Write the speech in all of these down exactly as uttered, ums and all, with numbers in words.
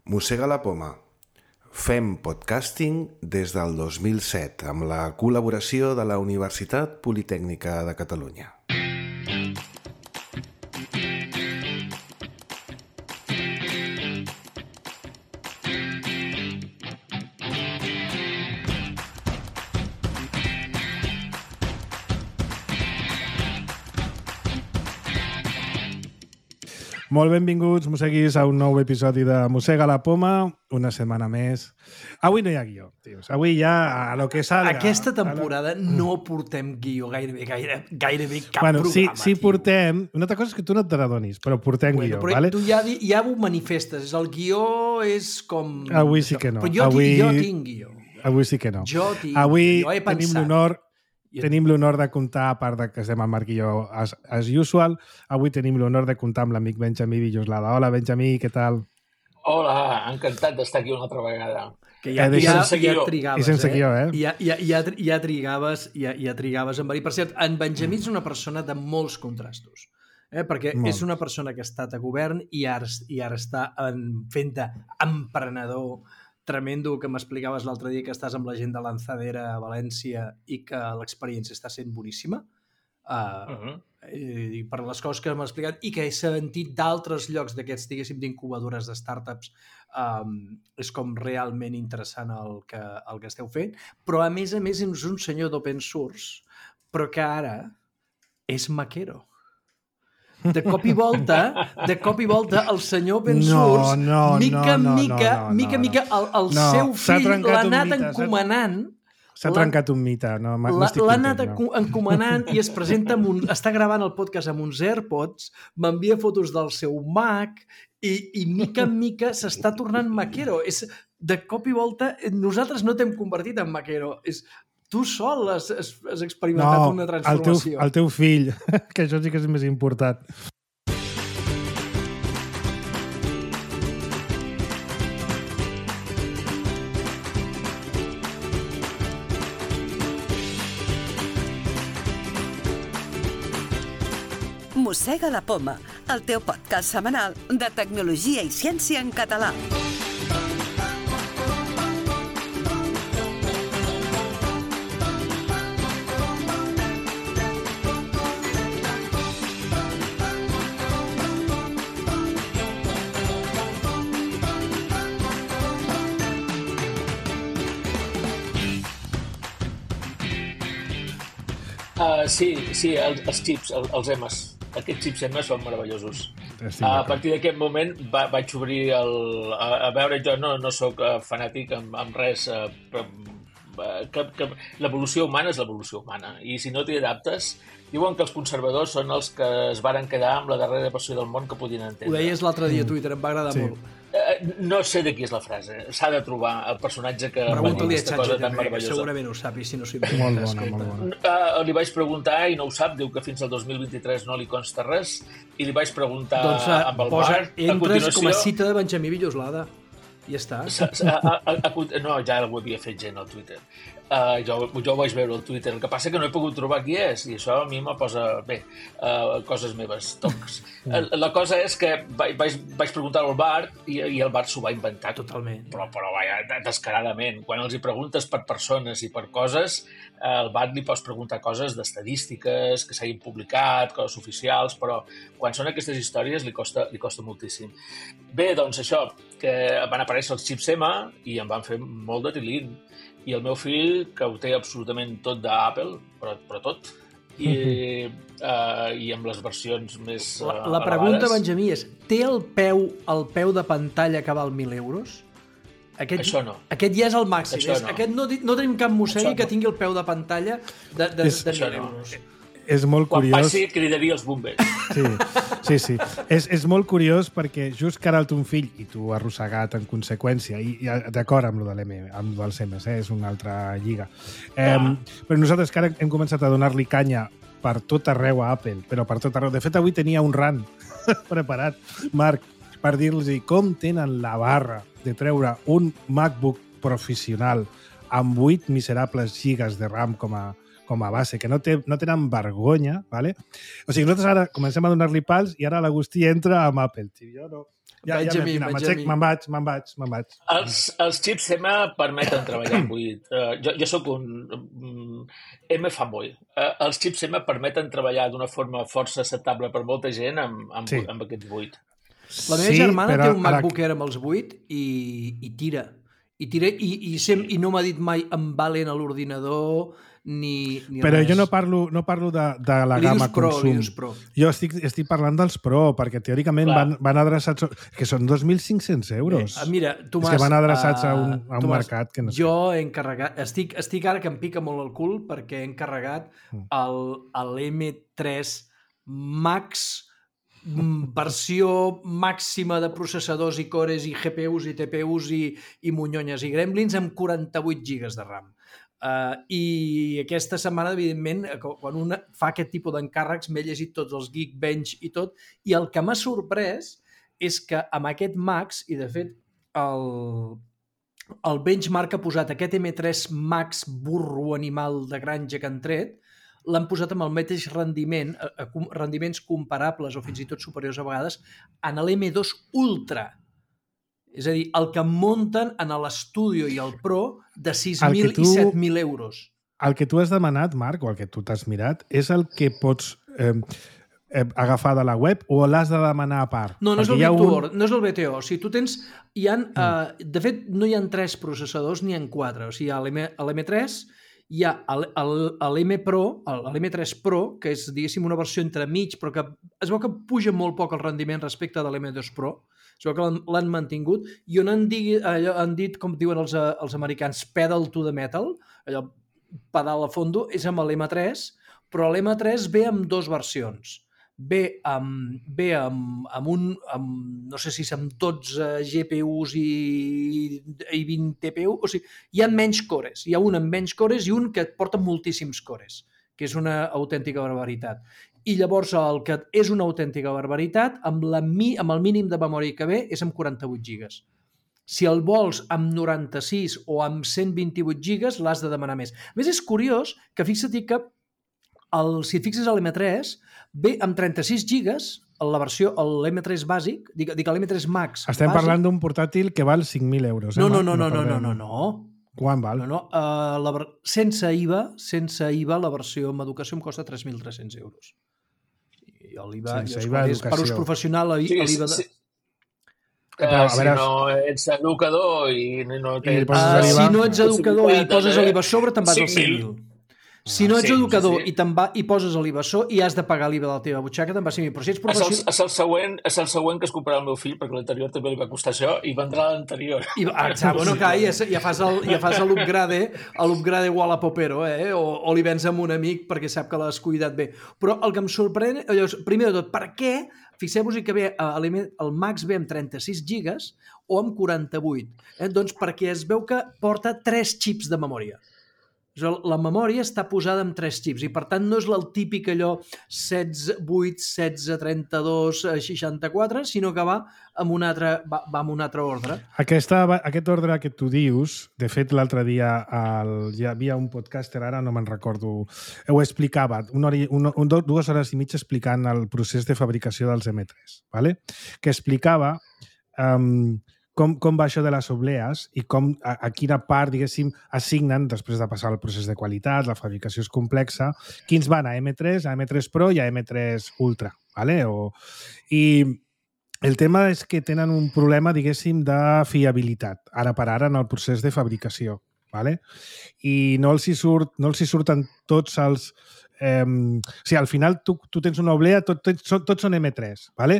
Mossega la poma. Fem podcasting des del dos mil set amb la col·laboració de la Universitat Politècnica de Catalunya. Molt benvinguts, mosseguis, a un nou episodi de Mossega la poma, una setmana més. Avui no hi ha guió, tios. Avui ja a lo que salga. Aquesta temporada lo... no portem guió gairebé, gaire, gairebé cap bueno, programa, sí, sí portem... Una altra cosa és que tu no te n'adonis, però portem bueno, guió, però vale? Tu ja, ja ho manifestes. El guió és com... Avui sí que no. Però jo, Avui... jo tinc guió. Avui sí que no. Jo tinc Avui jo he pensat. tenim l'honor... Tenim l'honor de comptar, a part de que estem en Marc i jo as, as usual, avui tenim l'honor de comptar amb l'amic Benjamí Villoslada. Hola, Benjamí, què tal? Hola, encantat d'estar aquí una altra vegada. Que ja, eh, ja, sense ja trigaves, I sense eh? guió, eh? Ja, ja, ja, ja trigaves, ja, ja trigaves en venir. Per cert, en Benjamí és una persona de molts contrastos, eh? Perquè Molt. és una persona que ha estat a govern i ara, i ara està en, fent d'emprenedor tremendo, que m'explicaves l'altre dia que estàs amb la gent de Lanzadera a València i que l'experiència està sent boníssima. Uh, uh -huh. i per les coses que m'ha explicat i que he sentit d'altres llocs d'aquests, diguéssim, d'incubadores de startups, um, és com realment interessant el que, el que esteu fent. Però, a més a més, és un senyor d'open source, però que ara és maquero. De cop i volta, de cop i volta, el senyor open source, no, no, mica, no, no, mica, no, no, mica, no. mica, el, el no, seu fill l'ha anat mite, encomanant. S'ha trencat un mite, no? L'ha anat no. encomanant i es presenta amb un, està gravant el podcast amb uns AirPods, m'envia fotos del seu Mac i, i mica en mica s'està tornant maquero. És, de cop i volta, nosaltres no t'hem convertit en maquero, és... Tu sol has, has, has experimentat no, una transformació. No, el, el teu fill, que això sí que és més important. Mossega la poma, el teu podcast setmanal de tecnologia i ciència en català. Uh, sí, sí, els, els xips, els, els emes. Aquests xips emes són meravellosos. Uh, a partir d'aquest moment va, vaig obrir el... A, a veure, jo no, no sóc uh, fanàtic amb, amb res, uh, però uh, que, que l'evolució humana és l'evolució humana. I si no t'hi adaptes, diuen que els conservadors són els que es varen quedar amb la darrera versió del món que podien entendre. Ho deies l'altre dia a Twitter, em va agradar sí. molt. Uh, no sé de qui és la frase. S'ha de trobar el personatge que va dir aquesta cosa tan meravellosa. Segurament ho sap, i si no s'hi molt bona, molt bona. Uh, li vaig preguntar i no ho sap, diu que fins al dos mil vint-i-tres no li consta res, i li vaig preguntar doncs, uh, amb el posa, Marc, a continuació... com a cita de Benjamí Villoslada. I ja està. A, a, a, a, no, ja ho havia fet gent al Twitter. Uh, jo, jo ho vaig veure al Twitter. El que passa que no he pogut trobar qui és, i això a mi me posa, bé, uh, coses meves, tocs. uh, la cosa és que vaig, vaig preguntar al Bart i, i el Bart s'ho va inventar. Totalment. Però, però vaja, descaradament. Quan els hi preguntes per persones i per coses, al Bart li pots preguntar coses d'estadístiques, que s'hagin publicat, coses oficials, però quan són aquestes històries li costa, li costa moltíssim. Bé, doncs això, que van aparèixer els xips M i em van fer molt de tilín. I el meu fill, que ho té absolutament tot d'Apple, però, però tot, i, uh, i amb les versions més uh, La, la pregunta, Benjamí, és té el peu, el peu de pantalla que val mil euros? Aquest, Això no. Aquest ja és el màxim. Això És, no. Aquest no, no tenim cap mossegui no. que tingui el peu de pantalla de, de, És, de mil no. euros. És molt Quan curiós. passi, cridaria els bombers. Sí, sí, sí. És, és molt curiós perquè just que ara el ton fill, i tu arrossegat en conseqüència, i, i d'acord amb lo de l'M, amb lo dels M's, eh? És una altra lliga. Eh, ah. Però nosaltres que ara hem començat a donar-li canya per tot arreu a Apple, però per tot arreu. De fet, avui tenia un rant preparat, Marc, per dir-los com tenen la barra de treure un MacBook professional amb vuit miserables gigas de RAM com a com a base, que no, té, no tenen vergonya, ¿vale? O sigui, nosaltres ara comencem a donar-li pals i ara l'Agustí entra amb Apple, tio. Jo no... Ja, ja mi, me'n me'n vaig, me'n vaig, me'n vaig. Els, els xips M permeten treballar amb buit. Uh, jo, jo sóc un um, M fanboy. Uh, els xips M permeten treballar d'una forma força acceptable per molta gent amb, amb, sí. amb aquests buit. La meva sí, germana té un MacBook Air amb els buit i, i tira. I, tira i, i, sem, i no m'ha dit mai em valen a l'ordinador ni, ni però res. Jo no parlo, no parlo de, de la li gamma pro, consum. Pro. Jo estic, estic parlant dels Pro, perquè teòricament van, van adreçats... Que són dos mil cinc-cents euros. Eh, mira, Tomàs... És que van adreçats uh, a un, a un Tomàs, mercat que no sé. Jo he encarregat... Estic, estic ara que em pica molt el cul perquè he encarregat el, el M tres Max versió màxima de processadors i cores i G P Us i T P Us i, i monyonyes i gremlins amb quaranta-vuit gigas de RAM. Uh, I aquesta setmana, evidentment, quan un fa aquest tipus d'encàrrecs, m'he llegit tots els Geekbench i tot, i el que m'ha sorprès és que amb aquest Max, i de fet el, el benchmark ha posat aquest M tres Max burro animal de granja que han tret, l'han posat amb el mateix rendiment, a, a, rendiments comparables o fins i tot superiors a vegades, en l'M dos Ultra. És a dir, el que munten en l'Studio i el Pro de sis mil tu, i set mil euros. El que tu has demanat, Marc, o el que tu t'has mirat, és el que pots eh, eh, agafar de la web o l'has de demanar a part? No, no és el, un... no és el B T O. O sigui, tu tens... Hi ha, mm. uh, de fet, no hi ha tres processadors ni en quatre. O sigui, a l'M tres hi ha l'M Pro, l'M tres Pro, que és, diguéssim, una versió entre mig, però que es veu que puja molt poc el rendiment respecte de l'M dos Pro. Es veu que l'han mantingut i on han, digui, allò, han dit, com diuen els, els americans, pedal to the metal, allò pedal a fondo, és amb l'M tres, però l'M tres ve amb dues versions. Ve amb, ve amb, amb un, amb, no sé si és amb dotze G P Us i, i vint T P U, o sigui, hi ha menys cores, hi ha un amb menys cores i un que et porta moltíssims cores, que és una autèntica barbaritat. I llavors el que és una autèntica barbaritat, amb, la, amb el mínim de memòria que ve, és amb quaranta-vuit gigas. Si el vols amb noranta-sis o amb cent vint-i-vuit gigas, l'has de demanar més. A més, és curiós que fixa't que el, si et fixes a l'M tres, ve amb trenta-sis gigas, la versió, l'M tres bàsic, dic, dic l'M tres Max. Estem bàsic, parlant d'un portàtil que val cinc mil euros. Eh, no, no, no, no, no, no, no, no. Quan val? No, no. Uh, la, sense I V A, sense I V A, la versió amb educació em costa tres mil tres-cents euros. I l'I V A, sense jo, I V A és per ús professional, l'I V A... Sí, sí. Uh, si no ets educador i no tens... Uh, si no ets educador i poses l'I V A a sobre, te'n vas als cinc mil. Si no ets sí, educador sí. i, va, i poses l'I V A i has de pagar l'I V A de la teva butxaca, te'n va cinc mil. Però si ets professional... És el, és, el següent, és el següent que es comprarà el meu fill, perquè l'anterior també li va costar això, i vendrà l'anterior. I, ah, bueno, clar, ja, ja fas l'upgrade, l'upgrade Wallapopero, eh? o, o li vens amb un amic perquè sap que l'has cuidat bé. Però el que em sorprèn, allò, primer de tot, per què, fixeu-vos que ve, el Max ve amb trenta-sis gigas o amb quaranta-vuit? Eh? Doncs perquè es veu que porta tres xips de memòria. La memòria està posada amb tres xips i, per tant, no és el típic allò setze, vuit, setze, trenta-dos, seixanta-quatre, sinó que va amb un altre, va, va amb un altre ordre. Aquesta, aquest ordre que tu dius, de fet, l'altre dia el, hi havia un podcaster, ara no me'n recordo, ho explicava, una hora, una, un, dues hores i mitja explicant el procés de fabricació dels M tres, ¿vale? Que explicava... Um, Com, com va això de les oblees i com, a, a quina part, diguéssim, assignen, després de passar el procés de qualitat, la fabricació és complexa, quins van a M tres, a M tres Pro i a M tres Ultra. ¿Vale? O, I el tema és que tenen un problema, diguéssim, de fiabilitat, ara per ara, en el procés de fabricació. ¿Vale? I no els hi, surt, no els hi surten tots els... Eh, o sigui, al final tu, tu tens una oblea, tots tot, tot, tot són M tres, ¿vale?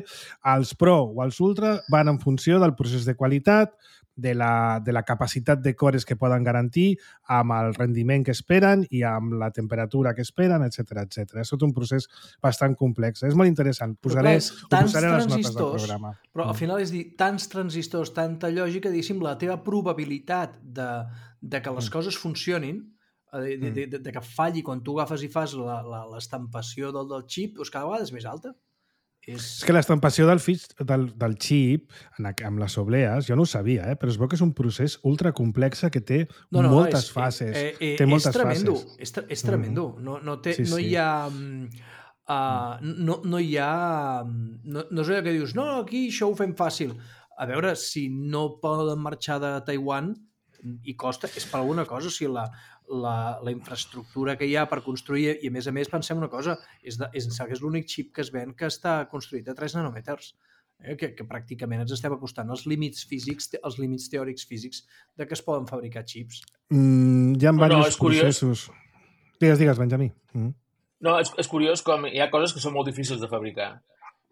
Els Pro o els Ultra van en funció del procés de qualitat, de la, de la capacitat de cores que poden garantir, amb el rendiment que esperen i amb la temperatura que esperen, etcètera, etcètera. És tot un procés bastant complex. És molt interessant. Posaré, ho posaré les notes del programa. Però al final és dir, tants transistors, tanta lògica, diguéssim, la teva probabilitat de, de que les coses funcionin, De, de, de, de que falli quan tu agafes i fas l'estampació del, del xip, doncs cada vegada és més alta. És... és que l'estampació del, del, del xip en, amb les oblees, jo no ho sabia, eh? Però es veu que és un procés ultra complex que té no, no, moltes és, fases. Eh, eh, té moltes és tremendo, fases. És, és tremendo. Mm. No, no, té, sí, no sí. hi ha... Uh, no, no hi ha... No, no és allò que dius, no, aquí això ho fem fàcil. A veure, si no poden marxar de Taiwan i costa, és per alguna cosa. O sigui, la, la, la infraestructura que hi ha per construir, i a més a més pensem una cosa, és, de, és, és l'únic xip que es ven que està construït a tres nanòmetres. Eh, que, que pràcticament ens estem acostant als límits físics, als límits teòrics físics de que es poden fabricar xips. Mm, hi ha no, diversos no, processos. Digues, digues, Benjamí. Mm. No, és, és curiós com hi ha coses que són molt difícils de fabricar.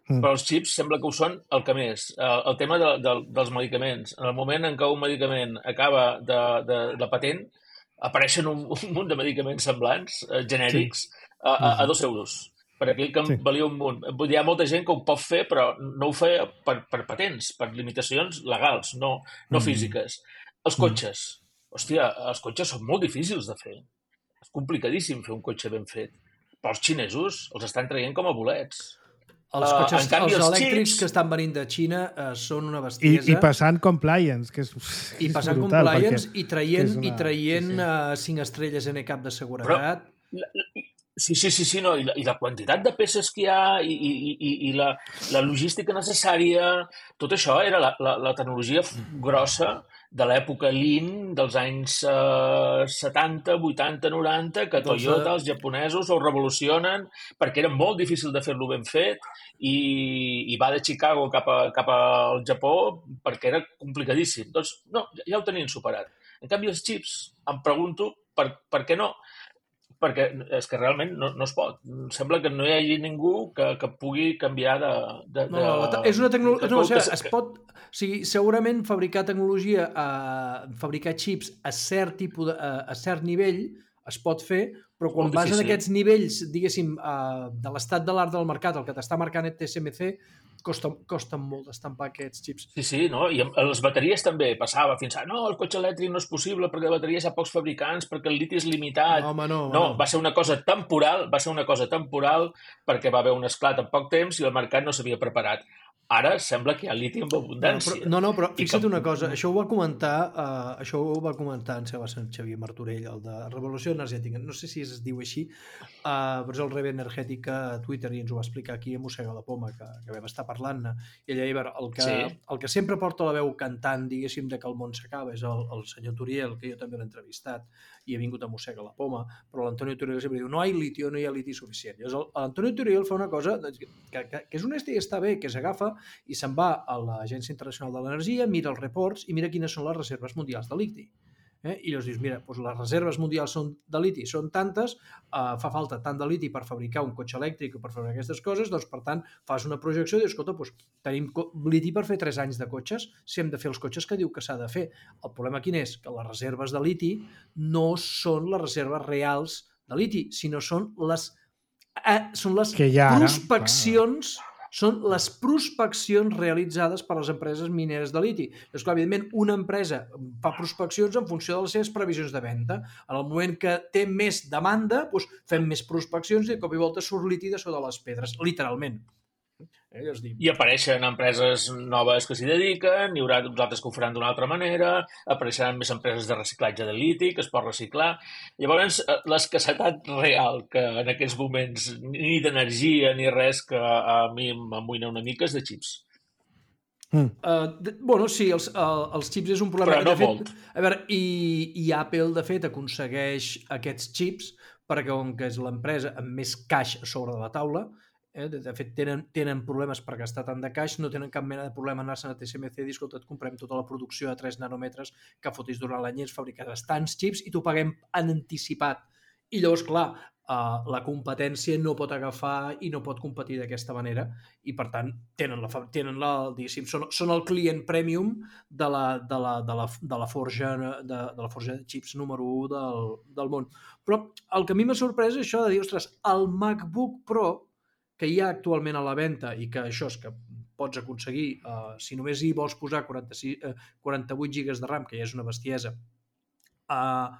Mm. Però els xips sembla que ho són el que més. El, el tema de, de, dels medicaments. En el moment en què un medicament acaba de, de, de patent, apareixen un, un munt de medicaments semblants, eh, genèrics, sí. a, a, a dos euros. Per aquell que sí. valia un munt. Hi ha molta gent que ho pot fer, però no ho fa per, per patents, per limitacions legals, no, no mm. físiques. Els cotxes. Mm. Hòstia, els cotxes són molt difícils de fer. És complicadíssim fer un cotxe ben fet. Però els xinesos els estan traient com a bolets. Els cotxes, uh, canvi, els, els elèctrics xips... que estan venint de Xina uh, són una bestiesa. I, i passant compliance, que és, I és passant brutal, compliance i traient, una... i traient sí, sí. Uh, cinc estrelles en e-cap de seguretat. Però, sí, sí, sí, sí no. I, la, i la quantitat de peces que hi ha i, i, i, i la, la logística necessària, tot això era la, la, la tecnologia grossa de l'època Lean dels anys eh, setanta, vuitanta, noranta, que Toyota, els japonesos, ho revolucionen perquè era molt difícil de fer-lo ben fet i, i va de Chicago cap, a, cap al Japó perquè era complicadíssim. Doncs no, ja ho tenien superat. En canvi, els xips, em pregunto per, per què no? Perquè és que realment no, no es pot. Sembla que no hi hagi ningú que, que pugui canviar de... de, no, no, de és una tecnologia... No, o sigui, que, es pot... O sigui, segurament fabricar tecnologia, eh, fabricar xips a cert tipus de, a, a cert nivell es pot fer, però quan vas en aquests nivells, diguéssim, eh, de l'estat de l'art del mercat, el que t'està marcant el T S M C, costa, costa molt d'estampar aquests xips. Sí, sí, no? I amb les bateries també passava fins a no, el cotxe elèctric no és possible perquè de bateries hi ha pocs fabricants, perquè el liti és limitat. No, home, no, home, no, no, va ser una cosa temporal, va ser una cosa temporal perquè va haver un esclat en poc temps i el mercat no s'havia preparat. Ara sembla que hi ha liti amb abundància. No, no, però fixa't que... una cosa, això ho va comentar, uh, això ho va comentar en Seba Sant Xavier Martorell, el de Revolució Energètica, no sé si es diu així, uh, però és el Rebe Energètica a Twitter i ens ho va explicar aquí a Mossega la Poma, que, que vam estar parlant-ne, i ella, el que, sí. el que sempre porta la veu cantant, diguéssim, de que el món s'acaba, és el, el senyor Turiel, que jo també l'he entrevistat, i ha vingut a Mossega la Poma, però l'Antonio Turiel sempre diu, no hi ha litio, no hi ha liti suficient. Llavors, l'Antonio Turiel fa una cosa que, que, que és honesta i està bé, que s'agafa i se'n va a l'Agència Internacional de l'Energia, mira els reports i mira quines són les reserves mundials de liti. Eh? I llavors dius, mira, doncs les reserves mundials són de liti són tantes, eh, fa falta tant de liti per fabricar un cotxe elèctric o per fabricar aquestes coses, doncs per tant fas una projecció i dius, escolta, doncs, tenim liti per fer tres anys de cotxes, si hem de fer els cotxes que diu que s'ha de fer. El problema quin és? Que les reserves de liti no són les reserves reals de liti, sinó són les, eh, són les prospeccions... Ah. Són les prospeccions realitzades per les empreses mineres de liti. Llavors, clar, evidentment, una empresa fa prospeccions en funció de les seves previsions de venda. En el moment que té més demanda, doncs fem més prospeccions i de cop i volta surt liti de sota les pedres, literalment. Eh, I apareixen empreses noves que s'hi dediquen, n'hi haurà uns altres que ho faran d'una altra manera, apareixeran més empreses de reciclatge de liti que es pot reciclar. Llavors, l'escassetat real, que en aquests moments ni d'energia ni res que a mi m'amoïna una mica, és de xips. Mm. Uh, de, bueno, sí, els, uh, els xips és un problema. Però no de fet, molt. A veure, i, i Apple, de fet, aconsegueix aquests xips perquè, com que és l'empresa amb més caix a sobre de la taula, Eh? De fet, tenen, tenen problemes per gastar tant de caix, no tenen cap mena de problema anar-se'n a T S M C i dir, escolta, et comprem tota la producció a tres nanòmetres que fotis durant l'any i ens fabricaràs tants xips i t'ho paguem en anticipat. I llavors, clar, uh, la competència no pot agafar i no pot competir d'aquesta manera i, per tant, tenen la, tenen la diguéssim, són, són el client premium de la, de la, de la, de la, forja, de, de la forja de xips número u del, del món. Però el que a mi m'ha sorprès és això de dir, ostres, el MacBook Pro que hi ha actualment a la venda i que això és que pots aconseguir, uh, si només hi vols posar quaranta-sis, uh, quaranta-vuit gigas de RAM, que ja és una bestiesa, uh,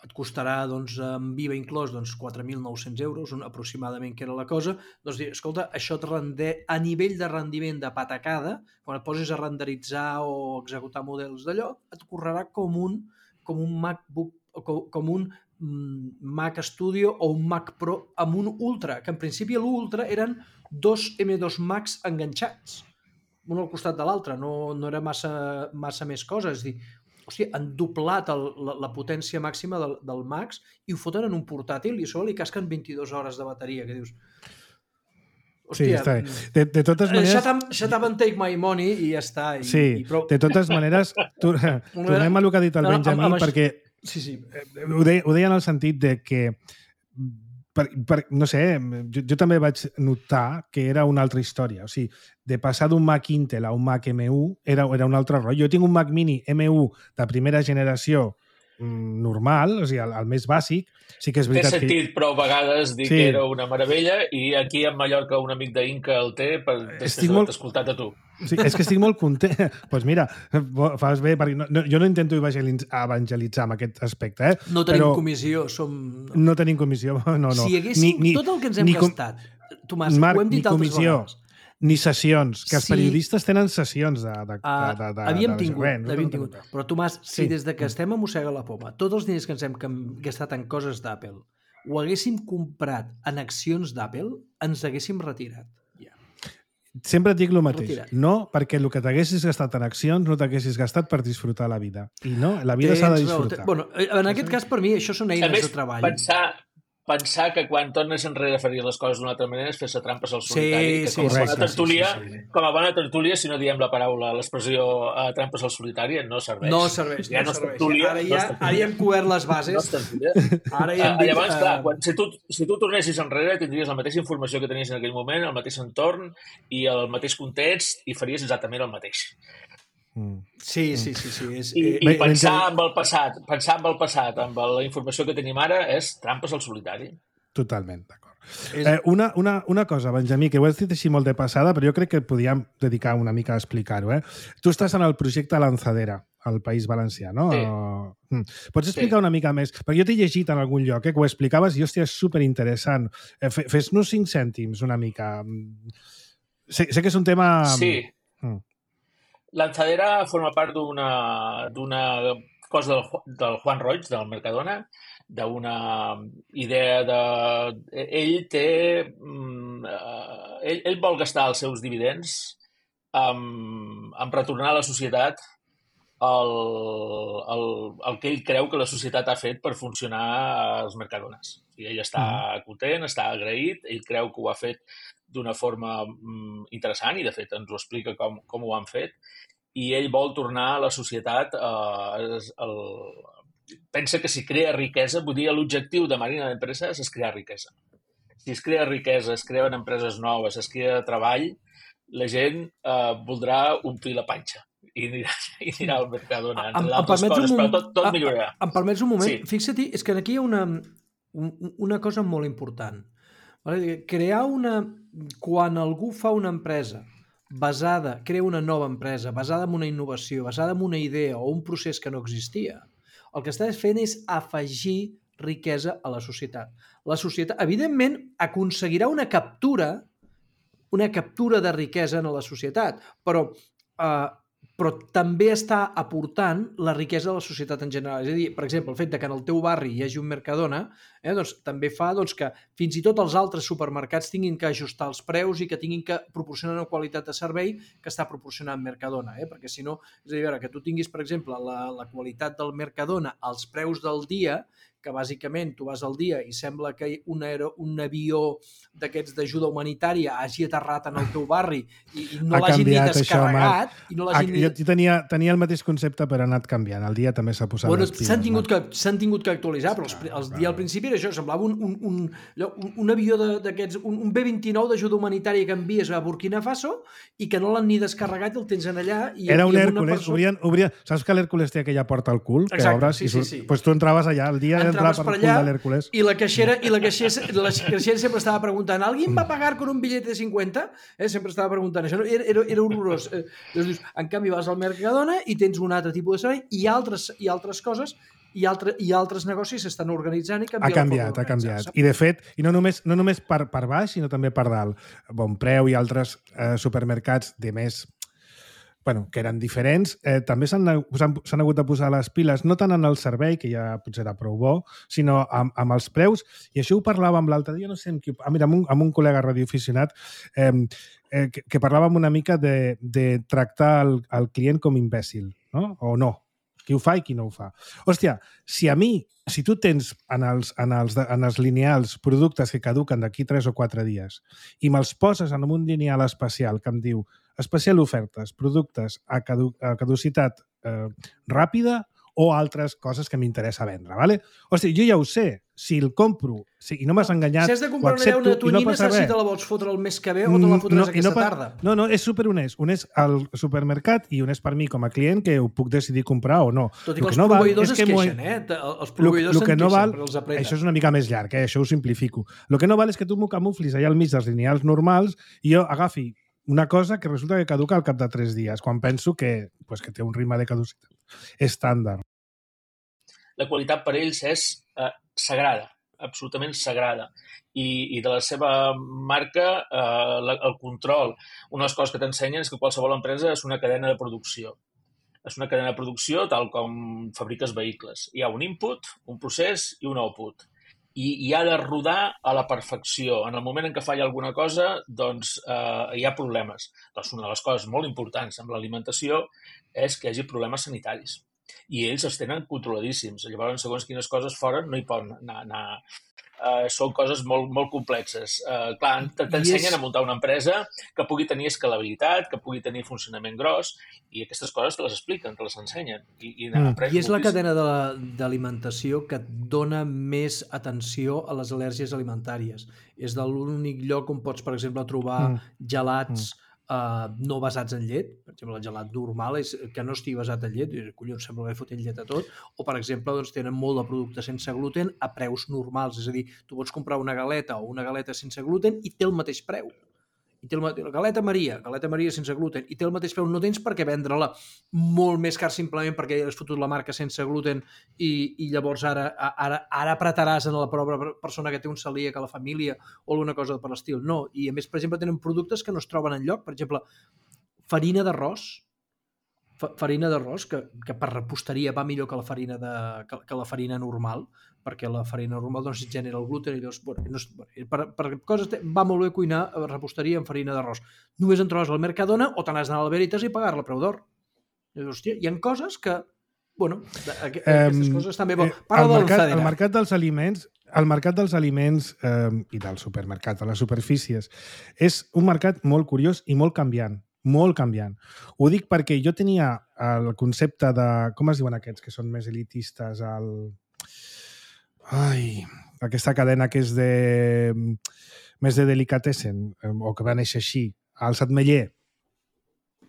et costarà, doncs, amb I V A inclòs, doncs, quatre mil nou-cents euros, un, aproximadament, que era la cosa. Doncs, escolta, això et rende, a nivell de rendiment de patacada, quan et posis a renderitzar o executar models d'allò, et correrà com un, com un MacBook, com, com un mm, Mac Studio o un Mac Pro amb un Ultra, que en principi l'Ultra eren dos M dos Max enganxats, un al costat de l'altre, no, no era massa, massa més coses. És dir, hòstia, han doblat el, la, la potència màxima del, del Max i ho foten en un portàtil i a sobre li casquen vint-i-dues hores de bateria, que dius... Hòstia, sí, està bé. De, de totes maneres... Shut up, shut up and take my money i ja està. I, sí, i prou... de totes maneres, tu, tornem a el que ha dit el Benjamí, no, no, perquè sí, sí. Ho, deia, ho deia en el sentit de que Per, per, no sé, jo, jo també vaig notar que era una altra història. O sigui, de passar d'un Mac Intel a un Mac M u era, era un altre rotllo. Jo tinc un Mac Mini M u de primera generació mm, normal, o sigui, el, el més bàsic. Sí que és veritat té sentit, que... però a vegades dir sí. que era una meravella i aquí a Mallorca un amic d'Inca el té per després d'haver molt... escoltat a tu. Sí, és que estic molt content. Doncs pues mira, fas bé, perquè no, no, jo no intento evangelitzar en aquest aspecte. Eh? No tenim però... comissió, som... No tenim comissió, no, no. Si haguéssim ni, ni, tot el que ens hem com... gastat, Tomàs, Marc, ho hem dit altres vegades. Ni sessions, que els sí. periodistes tenen sessions de, de, uh, de, de, havíem de, tingut, de havíem tingut. Però Tomàs, si sí. des de que estem a mossega la poma, tots els diners que ens hem gastat en coses d'Apple ho haguéssim comprat en accions d'Apple, ens haguéssim retirat. Yeah. Sempre et dic el mateix. Retirat. No, perquè el que t'haguessis gastat en accions no t'haguessis gastat per disfrutar la vida. I no, la vida s'ha de disfrutar. Bueno, en aquest cas, per mi, això són eines més, de treball. Pensar... pensar que quan tornes enrere faries les coses d'una altra manera és fer-se trampes al solitari, sí, que sí, com, a correcte, bona tertúlia, sí, sí, sí. com a bona tertúlia, si no diem la paraula, l'expressió uh, trampes al solitari, no serveix. No serveix, ja no, no serveix. Tertúlia, ara, ja, no ara ja hem cobert les bases. No ara ja hem dit... Llavors, clar, quan, si, tu, si tu tornessis enrere, tindries la mateixa informació que tenies en aquell moment, el mateix entorn i el mateix context i faries exactament el mateix. Mm. Sí, sí, sí, sí. És, I, i pensar amb el passat, pensar amb el passat, amb la informació que tenim ara, és trampes al solitari. Totalment, d'acord. És... Eh, una, una, una cosa, Benjamí, que ho has dit així molt de passada, però jo crec que podíem dedicar una mica a explicar-ho. Eh? Tu estàs en el projecte Lanzadera, al País Valencià, no? Sí. Uh, pots explicar sí. una mica més? Perquè jo t'he llegit en algun lloc, eh, que ho explicaves i, hòstia, és superinteressant. Eh, Fes-nos cinc cèntims, una mica. Sé, sé que és un tema... Sí. Mm. Lanzadera forma part d'una d'una cosa del, del Juan Roig, del Mercadona, d'una idea de... Ell té... Ell, ell vol gastar els seus dividends amb, amb retornar a la societat el, el, el que ell creu que la societat ha fet per funcionar als Mercadones. I ell està mm. content, està agraït, ell creu que ho ha fet d'una forma interessant i, de fet, ens ho explica com, com ho han fet. I ell vol tornar a la societat eh, el, pensa que si crea riquesa, vull dir, l'objectiu de Marina d'Empreses és crear riquesa. Si es crea riquesa, es creen empreses noves, es crea treball, la gent eh, voldrà omplir la panxa i anirà, i anirà al Mercadona, entre d'altres coses, però tot, tot millorarà. Em permets un moment? Sí. Fixa't, és que aquí hi ha una, una cosa molt important. Crear una... Quan algú fa una empresa basada, crea una nova empresa, basada en una innovació, basada en una idea o un procés que no existia, el que està fent és afegir riquesa a la societat. La societat, evidentment, aconseguirà una captura, una captura de riquesa en la societat, però, eh, però també està aportant la riquesa a la societat en general. És a dir, per exemple, el fet de que en el teu barri hi hagi un Mercadona, eh, doncs, també fa doncs, que fins i tot els altres supermercats tinguin que ajustar els preus i que tinguin que proporcionar una qualitat de servei que està proporcionant Mercadona. Eh? Perquè si no, és a dir, a veure, que tu tinguis, per exemple, la, la qualitat del Mercadona als preus del dia, que bàsicament tu vas al dia i sembla que un, aero, un avió d'aquests d'ajuda humanitària hagi aterrat en el teu barri i, i no l'hagin ni descarregat. Això, i no l'hagin ni... Jo tenia, tenia el mateix concepte, però ha anat canviant. El dia també s'ha posat... Bueno, s'han tingut, que, tingut que actualitzar, però els, els dia al principi era això, semblava un, un, un, un, un avió d'aquests, un, un B vint-i-nou d'ajuda humanitària que envies a Burkina Faso i que no l'han ni descarregat i el tens en allà. I, era un i Hèrcules. Persona... Obrien, obrien... Saps que l'Hèrcules té aquella porta al cul? Exacte, que obres sí, i surt... sí, sí. Pues tu entraves allà, el dia entraves per allà i la caixera, i la caixera, la caixera sempre estava preguntant ¿alguien va a pagar con un billete de cincuenta? Eh, sempre estava preguntant això. Era, era, era horrorós. Eh, doncs, en canvi vas al Mercadona i tens un altre tipus de servei i altres, i altres coses i, altre, i altres negocis s'estan organitzant i canviant. Ha canviat, ha canviat. I de fet, i no només, no només per, per baix, sinó també per dalt. Bon Preu i altres eh, supermercats de més bueno, que eren diferents, eh, també s'han hagut de posar les piles, no tant en el servei, que ja potser era prou bo, sinó amb, amb els preus, i això ho parlàvem l'altre dia, no sé amb qui... Ah, mira, amb un, amb un col·lega radioaficionat, eh, eh, que, que parlàvem una mica de, de tractar el, el client com imbècil, no? O no. Qui ho fa i qui no ho fa. Hòstia, si a mi, si tu tens en els, en els, en els lineals productes que caduquen d'aquí tres o quatre dies i me'ls poses en un lineal especial que em diu especial ofertes, productes a, cadu a caducitat eh, ràpida o altres coses que m'interessa vendre, ¿vale? Hòstia, jo ja ho sé, si el compro si, i no m'has enganyat, si has de comprar una llauna tonyina, saps si te la vols fotre el mes que ve o te la fotràs no, aquesta no, tarda. No, no, és superhonest. Honest al supermercat i honest per mi com a client que ho puc decidir comprar o no. Tot i que els no proveïdors es queixen, eh? Els proveïdors se'n no queixen, però els apreten. Això és una mica més llarg, eh? Això ho simplifico. El que no val és que tu m'ho camuflis allà al mig dels lineals normals i jo agafi una cosa que resulta que caduca al cap de tres dies, quan penso que, pues, que té un ritme de caducitat estàndard. La qualitat per ells és eh, sagrada, absolutament sagrada. I, i de la seva marca, eh, la, el control. Una de les coses que t'ensenyen és que qualsevol empresa és una cadena de producció. És una cadena de producció tal com fabriques vehicles. Hi ha un input, un procés i un output. I, i ha de rodar a la perfecció. En el moment en què falla alguna cosa, doncs eh, hi ha problemes. Doncs una de les coses molt importants amb l'alimentació és que hi hagi problemes sanitaris. I ells els tenen controladíssims. Llavors, segons quines coses fora, no hi poden anar. anar. Uh, són coses molt, molt complexes. Uh, clar, t'ensenyen és... a muntar una empresa que pugui tenir escalabilitat, que pugui tenir funcionament gros, i aquestes coses te les expliquen, te les ensenyen. I, i, mm. I és la cadena d'alimentació que et dona més atenció a les al·lèrgies alimentàries. És de l'únic lloc on pots, per exemple, trobar mm. gelats mm. Uh, no basats en llet, per exemple el gelat normal és que no estigui basat en llet, collons, sembla que fotent llet a tot, o per exemple doncs, tenen molt de producte sense gluten a preus normals, és a dir, tu pots comprar una galeta o una galeta sense gluten i té el mateix preu. I té el mateix, galeta Maria, galeta Maria sense gluten, i té el mateix preu, no tens per què vendre-la molt més car simplement perquè has fotut la marca sense gluten i, i llavors ara, ara, ara apretaràs en la pròpia persona que té un celíac a la família o alguna cosa per l'estil. No, i a més, per exemple, tenen productes que no es troben enlloc, per exemple, farina d'arròs, farina d'arròs, que, que per reposteria va millor que la farina, de, que, que la farina normal, perquè la farina normal doncs, genera el gluten i llavors, bueno, no, per, per coses va molt bé cuinar a reposteria amb farina d'arròs. Només en trobes al Mercadona o te n'has d'anar al Veritas i pagar-la a preu d'or. Hòstia, hi ha coses que, bueno, aquestes um, coses també... Parla el, mercat, el mercat dels aliments, el mercat dels aliments eh, i del supermercat, de les superfícies, és un mercat molt curiós i molt canviant. Molt canviant. Ho dic perquè jo tenia el concepte de... Com es diuen aquests que són més elitistes? El... Ai, aquesta cadena que és de... més de delicatessen, o que va néixer així, el Satmeller.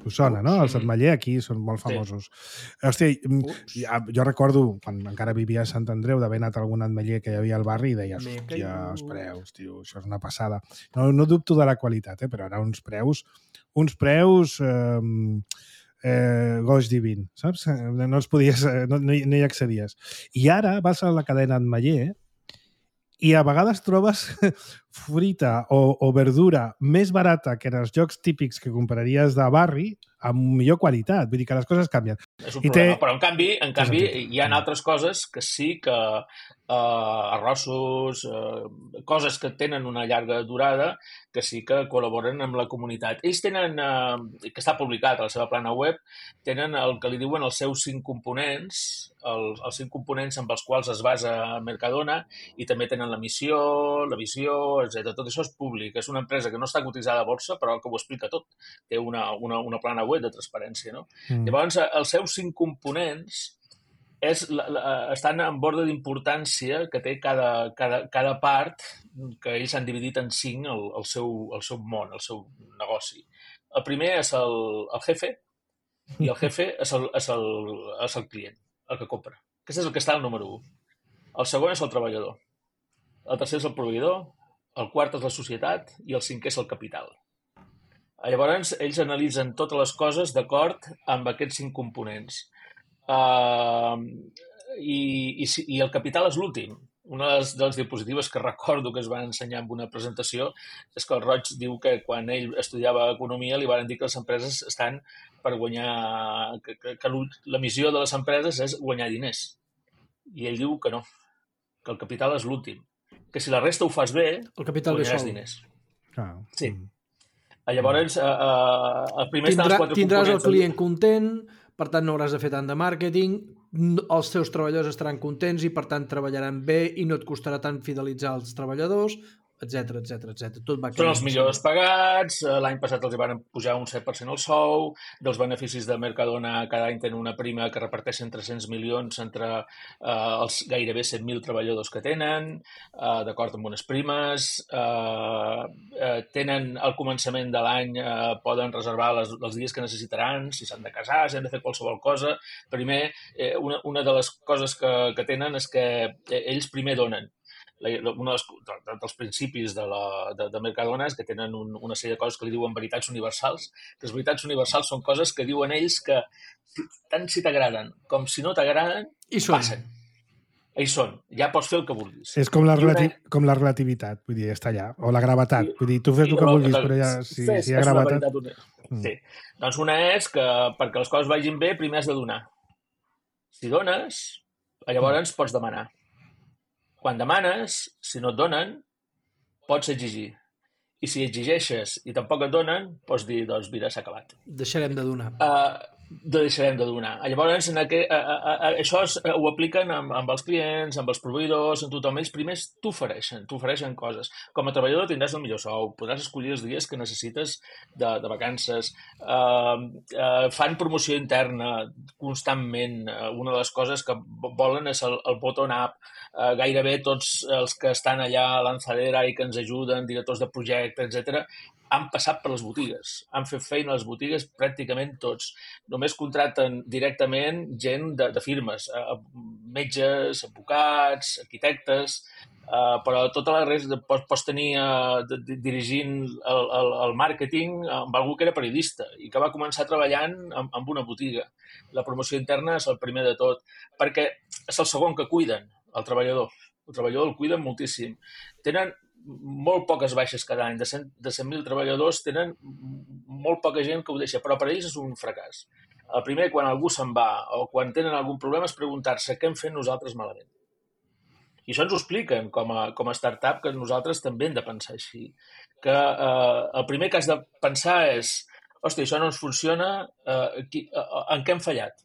Us sona, no? El Satmeller aquí són molt famosos. Sí. Hòstia, jo recordo, quan encara vivia a Sant Andreu, d'haver anat a algun atmeller que hi havia al barri i deies, hòstia, els preus, tio, això és una passada. No, no dubto de la qualitat, eh, però eren uns preus, uns preus... Eh, Eh, goix divin, saps? No els podies, no, no, hi, no hi accedies. I ara vas a la cadena Atmeller i a vegades trobes fruita o, o verdura més barata que en els llocs típics que compraries de barri amb millor qualitat. Vull dir que les coses canvien. És un I problema, té... però en canvi, en canvi hi ha altres coses que sí que eh, arrossos, eh, coses que tenen una llarga durada, que sí que col·laboren amb la comunitat. Ells tenen, eh, que està publicat a la seva plana web, tenen el que li diuen els seus cinc components, els, els cinc components amb els quals es basa Mercadona, i també tenen la missió, la visió, etcètera. Tot això és públic. És una empresa que no està cotitzada a borsa, però que ho explica tot. Té una, una, una plana web de transparència, no? Mm. Llavors, els seus cinc components és, la, la, estan en ordre d'importància que té cada, cada, cada part, que ells han dividit en cinc el, el, seu, el seu món, el seu negoci. El primer és el, el jefe, i el jefe és el, és, el, és el client, el que compra. Aquest és el que està al número u. El segon és el treballador. El tercer és el proveïdor, el quart és la societat i el cinquè és el capital. Llavors, ells analitzen totes les coses d'acord amb aquests cinc components. Uh, i, i, i el capital és l'últim. Una de les, de les diapositives que recordo que es van ensenyar en una presentació és que el Roig diu que quan ell estudiava economia li van dir que les empreses estan per guanyar... que, que, que la missió de les empreses és guanyar diners. I ell diu que no, que el capital és l'últim. Que si la resta ho fas bé, el capital guanyaràs diners. Ah. Sí. Llavors, eh, eh, el primer Tindrà, estan els quatre tindràs el components. client content, per tant no hauràs de fer tant de màrqueting, els teus treballadors estaran contents i per tant treballaran bé i no et costarà tant fidelitzar els treballadors, etcètera, etcètera, etcètera. Tot va Són els millors pagats, l'any passat els van pujar un set per cent el sou, dels beneficis de Mercadona cada any tenen una prima que reparteixen tres-cents milions entre eh, els gairebé set mil treballadors que tenen, eh, d'acord amb unes primes, eh, eh, tenen al començament de l'any, eh, poden reservar les, els dies que necessitaran, si s'han de casar, si han de fer qualsevol cosa. Primer, eh, una, una de les coses que, que tenen és que ells primer donen. Un dels, dels principis de, la, de, de Mercadona és que tenen un, una sèrie de coses que li diuen veritats universals. Que les veritats universals són coses que diuen ells que tant si t'agraden com si no t'agraden, passen. Hi són. Ja pots fer el que vulguis. És com la, relati una... com la relativitat, vull dir, està allà. O la gravetat. Vull dir, tu fes el que vulguis, però ja, si, fes, si hi ha gravetat... Una... Mm. Sí. Doncs una és que perquè les coses vagin bé, primer has de donar. Si dones, llavors pots demanar. Quan demanes, si no et donen, pots exigir. I si exigeixes i tampoc et donen, pots dir, doncs mira, s'ha acabat. Deixarem de donar. Uh, deixarem de donar. Llavors, en aqu... uh, uh, uh, això es, uh, ho apliquen amb, amb els clients, amb els proveïdors, amb tothom. Ells primers t'ofereixen, t'ofereixen coses. Com a treballador tindràs el millor sou, podràs escollir els dies que necessites de, de vacances, uh, uh, fan promoció interna constantment. Uh, una de les coses que volen és el, el bottom-up. Uh, gairebé tots els que estan allà a Lanzadera i que ens ajuden, directors de projecte, etcètera, han passat per les botigues, han fet feina a les botigues pràcticament tots. Només contracten directament gent de, de firmes, eh, metges, advocats, arquitectes, eh, però tota la resta pots, pots tenir eh, dirigint el, el, el màrqueting amb algú que era periodista i que va començar treballant amb, amb una botiga. La promoció interna és el primer de tot, perquè és el segon que cuiden, el treballador. El treballador el cuiden moltíssim. Tenen molt poques baixes cada any. De cent mil treballadors tenen molt poca gent que ho deixa, però per a ells és un fracàs. El primer, quan algú se'n va o quan tenen algun problema, és preguntar-se què hem fet nosaltres malament. I això ens ho expliquen com a, com a startup, que nosaltres també hem de pensar així. Que eh, el primer que has de pensar és hòstia, això no ens funciona, eh, qui, eh, en què hem fallat?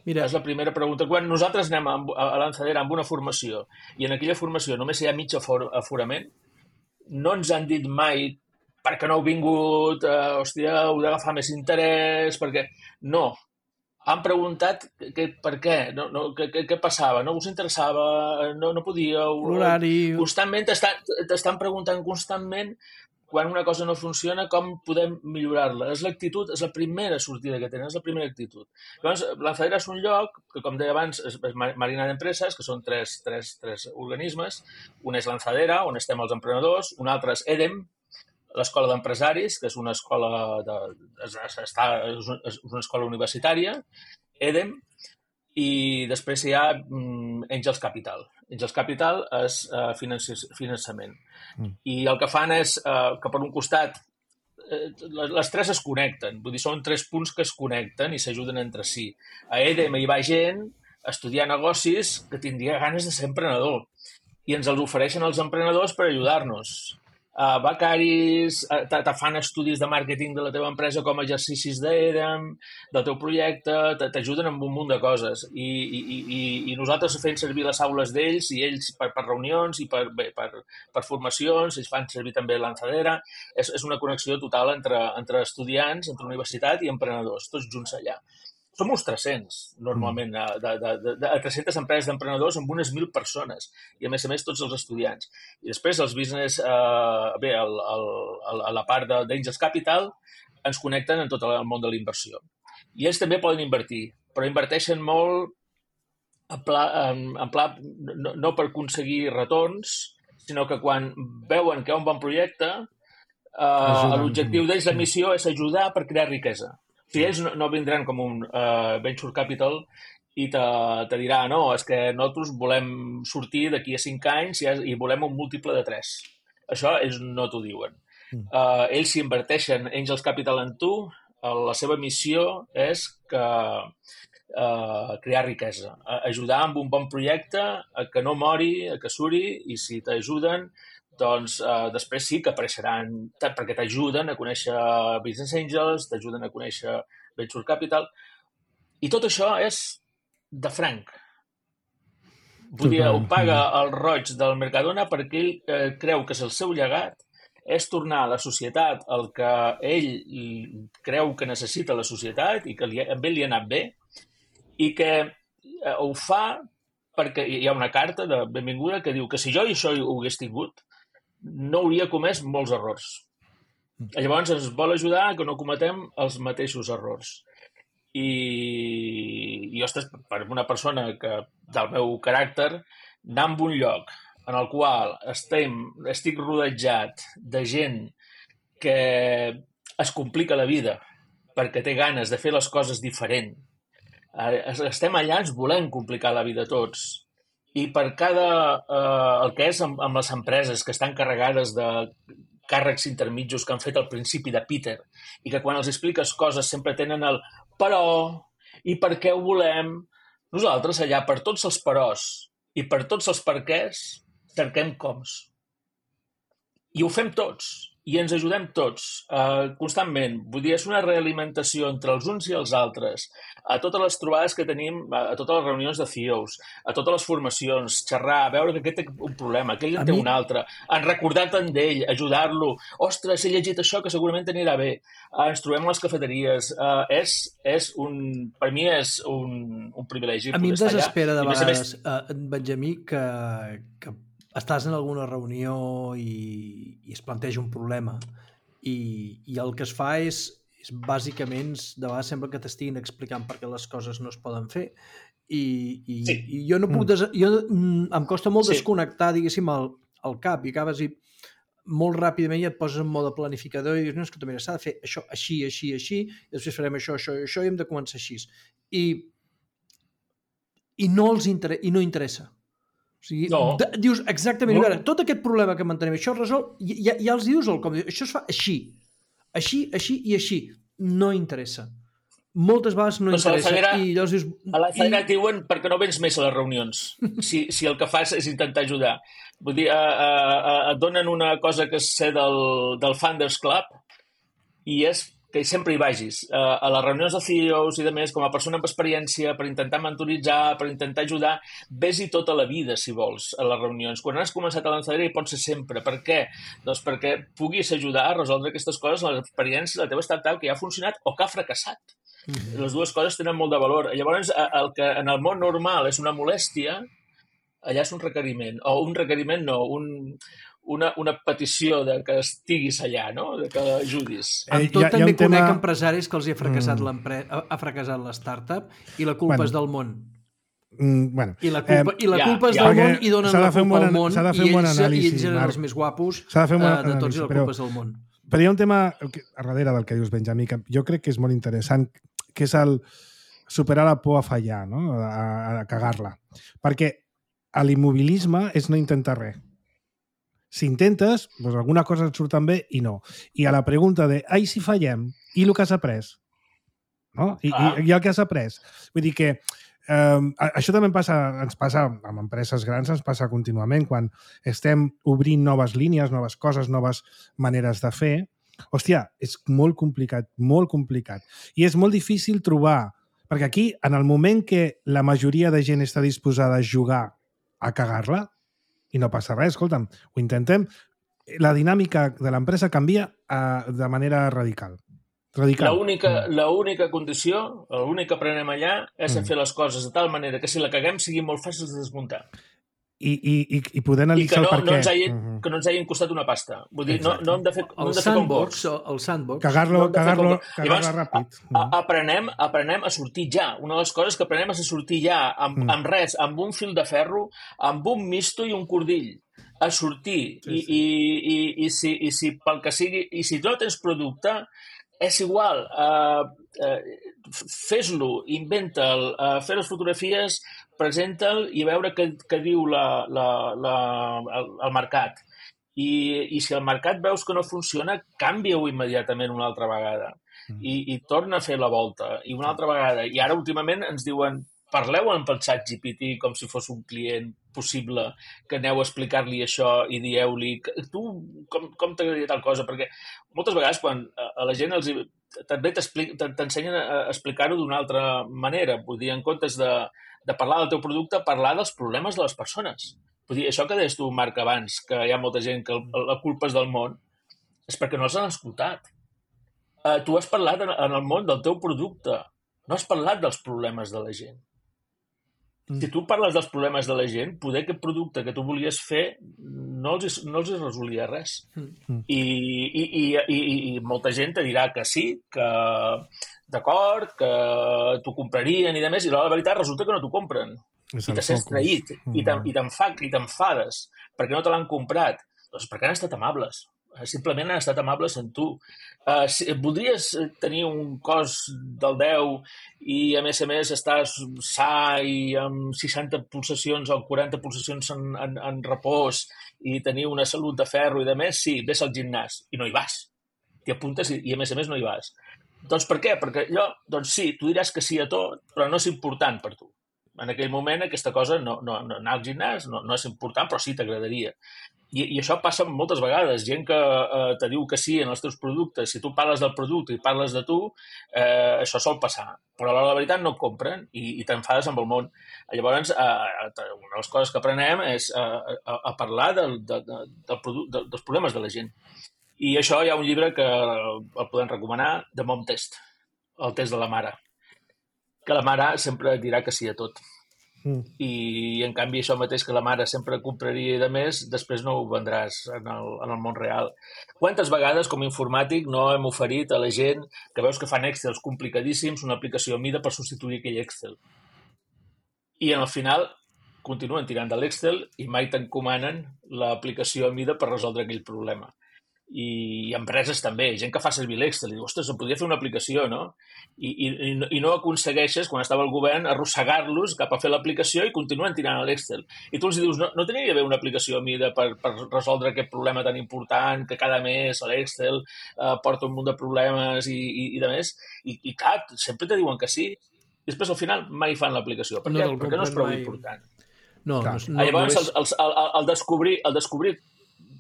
Mira. És la primera pregunta. Quan nosaltres anem a, a Lanzadera amb una formació i en aquella formació només hi ha mig aforament, no ens han dit mai perquè no heu vingut, eh, hòstia, heu d'agafar més interès, perquè... No. Han preguntat que, per què, no, no, què, què passava, no us interessava, no, no podíeu... L'horari... Constantment t'estan preguntant constantment quan una cosa no funciona, com podem millorar-la. És l'actitud, és la primera sortida que tenen, és la primera actitud. Llavors, Lanzadera és un lloc que, com deia abans, és Marina d'Empreses, que són tres, tres, tres organismes. Un és Lanzadera, on estem els emprenedors, un altre és EDEM, l'escola d'empresaris, que és una escola, de, està, és una escola universitària, EDEM, i després hi ha um, Angels Capital. Angels Capital és uh, finançament. Mm. I el que fan és uh, que per un costat eh, les tres es connecten, vull dir, són tres punts que es connecten i s'ajuden entre si. A EDEM hi va gent a estudiar negocis que tindria ganes de ser emprenedor i ens els ofereixen els emprenedors per ajudar-nos. Uh, becaris, uh, te fan estudis de màrqueting de la teva empresa com a exercicis d'EDEM, del teu projecte, t'ajuden amb un munt de coses. I, i, i, i nosaltres fem servir les aules d'ells i ells per, per reunions i per, bé, per, per formacions, ells fan servir també Lanzadera. És, és una connexió total entre, entre estudiants, entre universitat i emprenedors, tots junts allà. Som uns tres-cents, normalment, de, de, de, de tres-centes empreses d'emprenedors amb unes mil persones i, a més a més, tots els estudiants. I després els business, eh, bé, el, el, a la part d'Angels Capital ens connecten en tot el món de la inversió. I ells també poden invertir, però inverteixen molt en pla, en, en pla no, no per aconseguir retorns, sinó que quan veuen que hi ha un bon projecte, eh, l'objectiu d'ells, la missió, és ajudar per crear riquesa. Si ells no, no vindran com un uh, venture capital i te, te dirà, no, és que nosaltres volem sortir d'aquí a cinc anys i, i volem un múltiple de tres. Això ells no t'ho diuen. Mm. Uh, ells s'hi inverteixen Angels Capital en tu, uh, la seva missió és que uh, crear riquesa, uh, ajudar amb un bon projecte a que no mori, a que suri, i si t'ajuden, doncs uh, després sí que apareixeran, perquè t'ajuden a conèixer Business Angels, t'ajuden a conèixer Venture Capital, i tot això és de franc. Vull dir, ho paga el roig del Mercadona perquè ell eh, creu que és el seu llegat, és tornar a la societat el que ell creu que necessita la societat i que li, amb ell li ha anat bé, i que eh, ho fa perquè hi ha una carta de benvinguda que diu que si jo i això ho hagués tingut, no hauria comès molts errors. Llavors ens vol ajudar que no cometem els mateixos errors. I, i ostres, per una persona que, del meu caràcter, anar a un lloc en el qual estem, estic rodejat de gent que es complica la vida perquè té ganes de fer les coses diferent. Estem allà, ens volem complicar la vida tots. I per cada, eh, el que és amb, amb les empreses que estan carregades de càrrecs intermitjos que han fet al principi de Peter i que quan els expliques coses sempre tenen el però i per què ho volem, nosaltres allà per tots els peròs i per tots els perquès cerquem coms. I ho fem tots. I ens ajudem tots, eh, constantment. Vull dir, és una realimentació entre els uns i els altres. A totes les trobades que tenim, a totes les reunions de C E Os, a totes les formacions, xerrar, veure que aquest té un problema, que ell en té un altre, en recordar-te'n d'ell, ajudar-lo. Ostres, he llegit això que segurament t'anirà bé. Eh, ens trobem a les cafeteries. Eh, és, és un, per mi és un, un privilegi. A mi em desespera de vegades, eh, Benjamí, que, que estàs en alguna reunió i, i es planteja un problema i, i el que es fa és, és bàsicament, de vegades sembla que t'estiguin explicant per què les coses no es poden fer i, i, sí. i jo no puc des... jo, em costa molt sí. desconnectar, diguéssim, el, el cap i acabes i molt ràpidament ja et poses en mode planificador i dius, no, escolta, mira, s'ha de fer això així, així, així, i després farem això, això i això i hem de començar així. I, i no els inter... i no interessa. O sigui, no. de, dius exactament, no. veure, tot aquest problema que mantenim, això es resol, ja, ja els dius el com, això es fa així, així, així i així. No interessa. Moltes vegades no doncs interessa. Fallera, I llavors dius... A la Fallera i... et diuen perquè no vens més a les reunions, si, si el que fas és intentar ajudar. Vull dir, a, a, a, et donen una cosa que és ser del, del Founders Club i és que sempre hi vagis. Uh, a les reunions de C E Os i de més, com a persona amb experiència, per intentar mentoritzar, per intentar ajudar, ves-hi tota la vida, si vols, a les reunions. Quan has començat a Lanzadera hi pots ser sempre. Per què? Doncs perquè puguis ajudar a resoldre aquestes coses, l'experiència, la teva startup que ja ha funcionat o que ha fracassat. Mm-hmm. Les dues coses tenen molt de valor. Llavors, el que en el món normal és una molèstia, allà és un requeriment. O un requeriment no, un... Una, una petició de que estiguis allà, no? De que ajudis. Amb tot eh, també conec tema... empresaris que els hi ha fracassat, mm. ha fracassat la startup i la culpa bueno. és del món. Mm, bueno. I la culpa, eh, i la culpa ja, és del ja. món i donen la culpa al món i ells, anàlisi, i ells eren els més guapos uh, de tots anàlisi, i la culpa però, és del món. Però hi ha un tema a darrere del que dius, Benjamí, que jo crec que és molt interessant, que és el superar la por a fallar, no? a, a cagar-la. Perquè l'immobilisme és no intentar res. Si intentes, doncs alguna cosa et surten bé i no. I a la pregunta de, ai, si fallem, i el que has après? No? I, ah. i, i el que has après? Vull dir que eh, això també passa, ens passa amb empreses grans, ens passa contínuament, quan estem obrint noves línies, noves coses, noves maneres de fer. Hòstia, és molt complicat, molt complicat. I és molt difícil trobar, perquè aquí, en el moment que la majoria de gent està disposada a jugar a cagar-la, i no passa res, escolta'm, ho intentem, la dinàmica de l'empresa canvia uh, de manera radical. radical. L'única mm. l'única condició, l'únic que aprenem allà és mm. a fer les coses de tal manera que si la caguem sigui molt fàcil de desmuntar. I, i, i, i poder analitzar I que no, el per no què. ens hagin, mm-hmm. que no ens hagin costat una pasta. Vull dir, no, no hem de fer, no el, hem de fer sandbox, el sandbox. Cagar-lo no cagar cagar ràpid. A, a, aprenem, aprenem a sortir ja. Una de les coses que aprenem és a sortir ja, amb, mm. amb res, amb un fil de ferro, amb un misto i un cordill. A sortir. Sí, sí. I, i, i, i, si, i si pel que sigui, i si no tens producte, és igual. Uh, eh, fes-lo, inventa'l, eh, fer les fotografies, presenta'l i veure què, què diu la, la, la, el, el mercat. I, I si el mercat veus que no funciona, canvia-ho immediatament una altra vegada. I, i torna a fer la volta. I una altra vegada. I ara, últimament, ens diuen parleu amb el ChatGPT com si fos un client possible, que aneu a explicar-li això i dieu-li tu com, com t'agradaria tal cosa, perquè moltes vegades quan a la gent els, també t'ensenyen a explicar-ho d'una altra manera, vull dir, en comptes de, de parlar del teu producte, parlar dels problemes de les persones. Vull dir, això que deies tu, Marc, abans, que hi ha molta gent que la culpa és del món, és perquè no els han escoltat. Uh, tu has parlat en, en el món del teu producte, no has parlat dels problemes de la gent. Si tu parles dels problemes de la gent, poder aquest producte que tu volies fer no els, no els resolia res. Mm. I, i, i, i, I molta gent te dirà que sí, que d'acord, que t'ho comprarien i de més, i la veritat resulta que no t'ho compren. I te sents traït, mm. i t'enfades perquè no te l'han comprat. Doncs perquè han estat amables. Simplement han estat amables amb tu. Uh, si, voldries tenir un cos del deu i, a més a més, estàs sa i amb seixanta pulsacions o quaranta pulsacions en, en, en repòs i tenir una salut de ferro i de més? Sí, ves al gimnàs i no hi vas. T'hi apuntes i, i, a més a més, no hi vas. Doncs per què? Perquè allò, doncs sí, tu diràs que sí a tot, però no és important per tu. En aquell moment aquesta cosa, no, no, no anar al gimnàs no, no és important, però sí t'agradaria. I, I això passa moltes vegades. Gent que eh, te diu que sí en els teus productes, si tu parles del producte i parles de tu, eh, això sol passar. Però a l'hora de la veritat no et compren i, i t'enfades amb el món. Llavors, eh, una de les coses que aprenem és eh, a, a parlar del, de, de, del produc, de, dels problemes de la gent. I això hi ha un llibre que el podem recomanar, The Mom Test, el test de la mare. Que la mare sempre dirà que sí a tot. Mm. I, en canvi, això mateix que la mare sempre compraria i de més, després no ho vendràs en el, en el món real. Quantes vegades, com a informàtic, no hem oferit a la gent que veus que fan Excels complicadíssims una aplicació a mida per substituir aquell Excel? I, al final, continuen tirant de l'Excel i mai t'encomanen l'aplicació a mida per resoldre aquell problema. I empreses també, gent que fa servir l'Excel i diu, ostres, em podria fer una aplicació, no? I, i, i no aconsegueixes, quan estava al govern, arrossegar-los cap a fer l'aplicació i continuen tirant a l'Excel. I tu els dius, no, no tenia d'haver una aplicació a mida per, per resoldre aquest problema tan important que cada mes l'Excel eh, porta un munt de problemes i, i, i de més. I, i clar, sempre te diuen que sí. I després al final mai fan l'aplicació. Per què? No, perquè no és prou mai... important. No, no, no, Llavors, no és... el, el, el, el, descobrir, el descobrir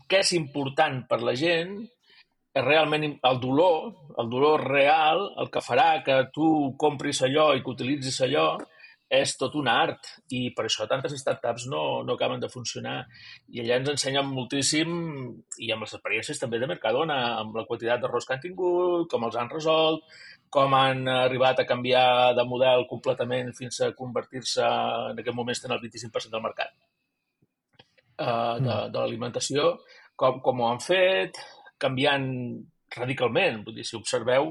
què és important per la gent és realment el dolor, el dolor real, el que farà que tu compris allò i que utilitzis allò, és tot un art. I per això tantes startups no, no acaben de funcionar. I allà ens ensenyen moltíssim, i amb les experiències també de Mercadona, amb la quantitat d'errors que han tingut, com els han resolt, com han arribat a canviar de model completament fins a convertir-se, en aquest moment estan al vint-i-cinc per cent del mercat uh, de, de l'alimentació, com, com ho han fet, canviant radicalment. Vull dir, si observeu,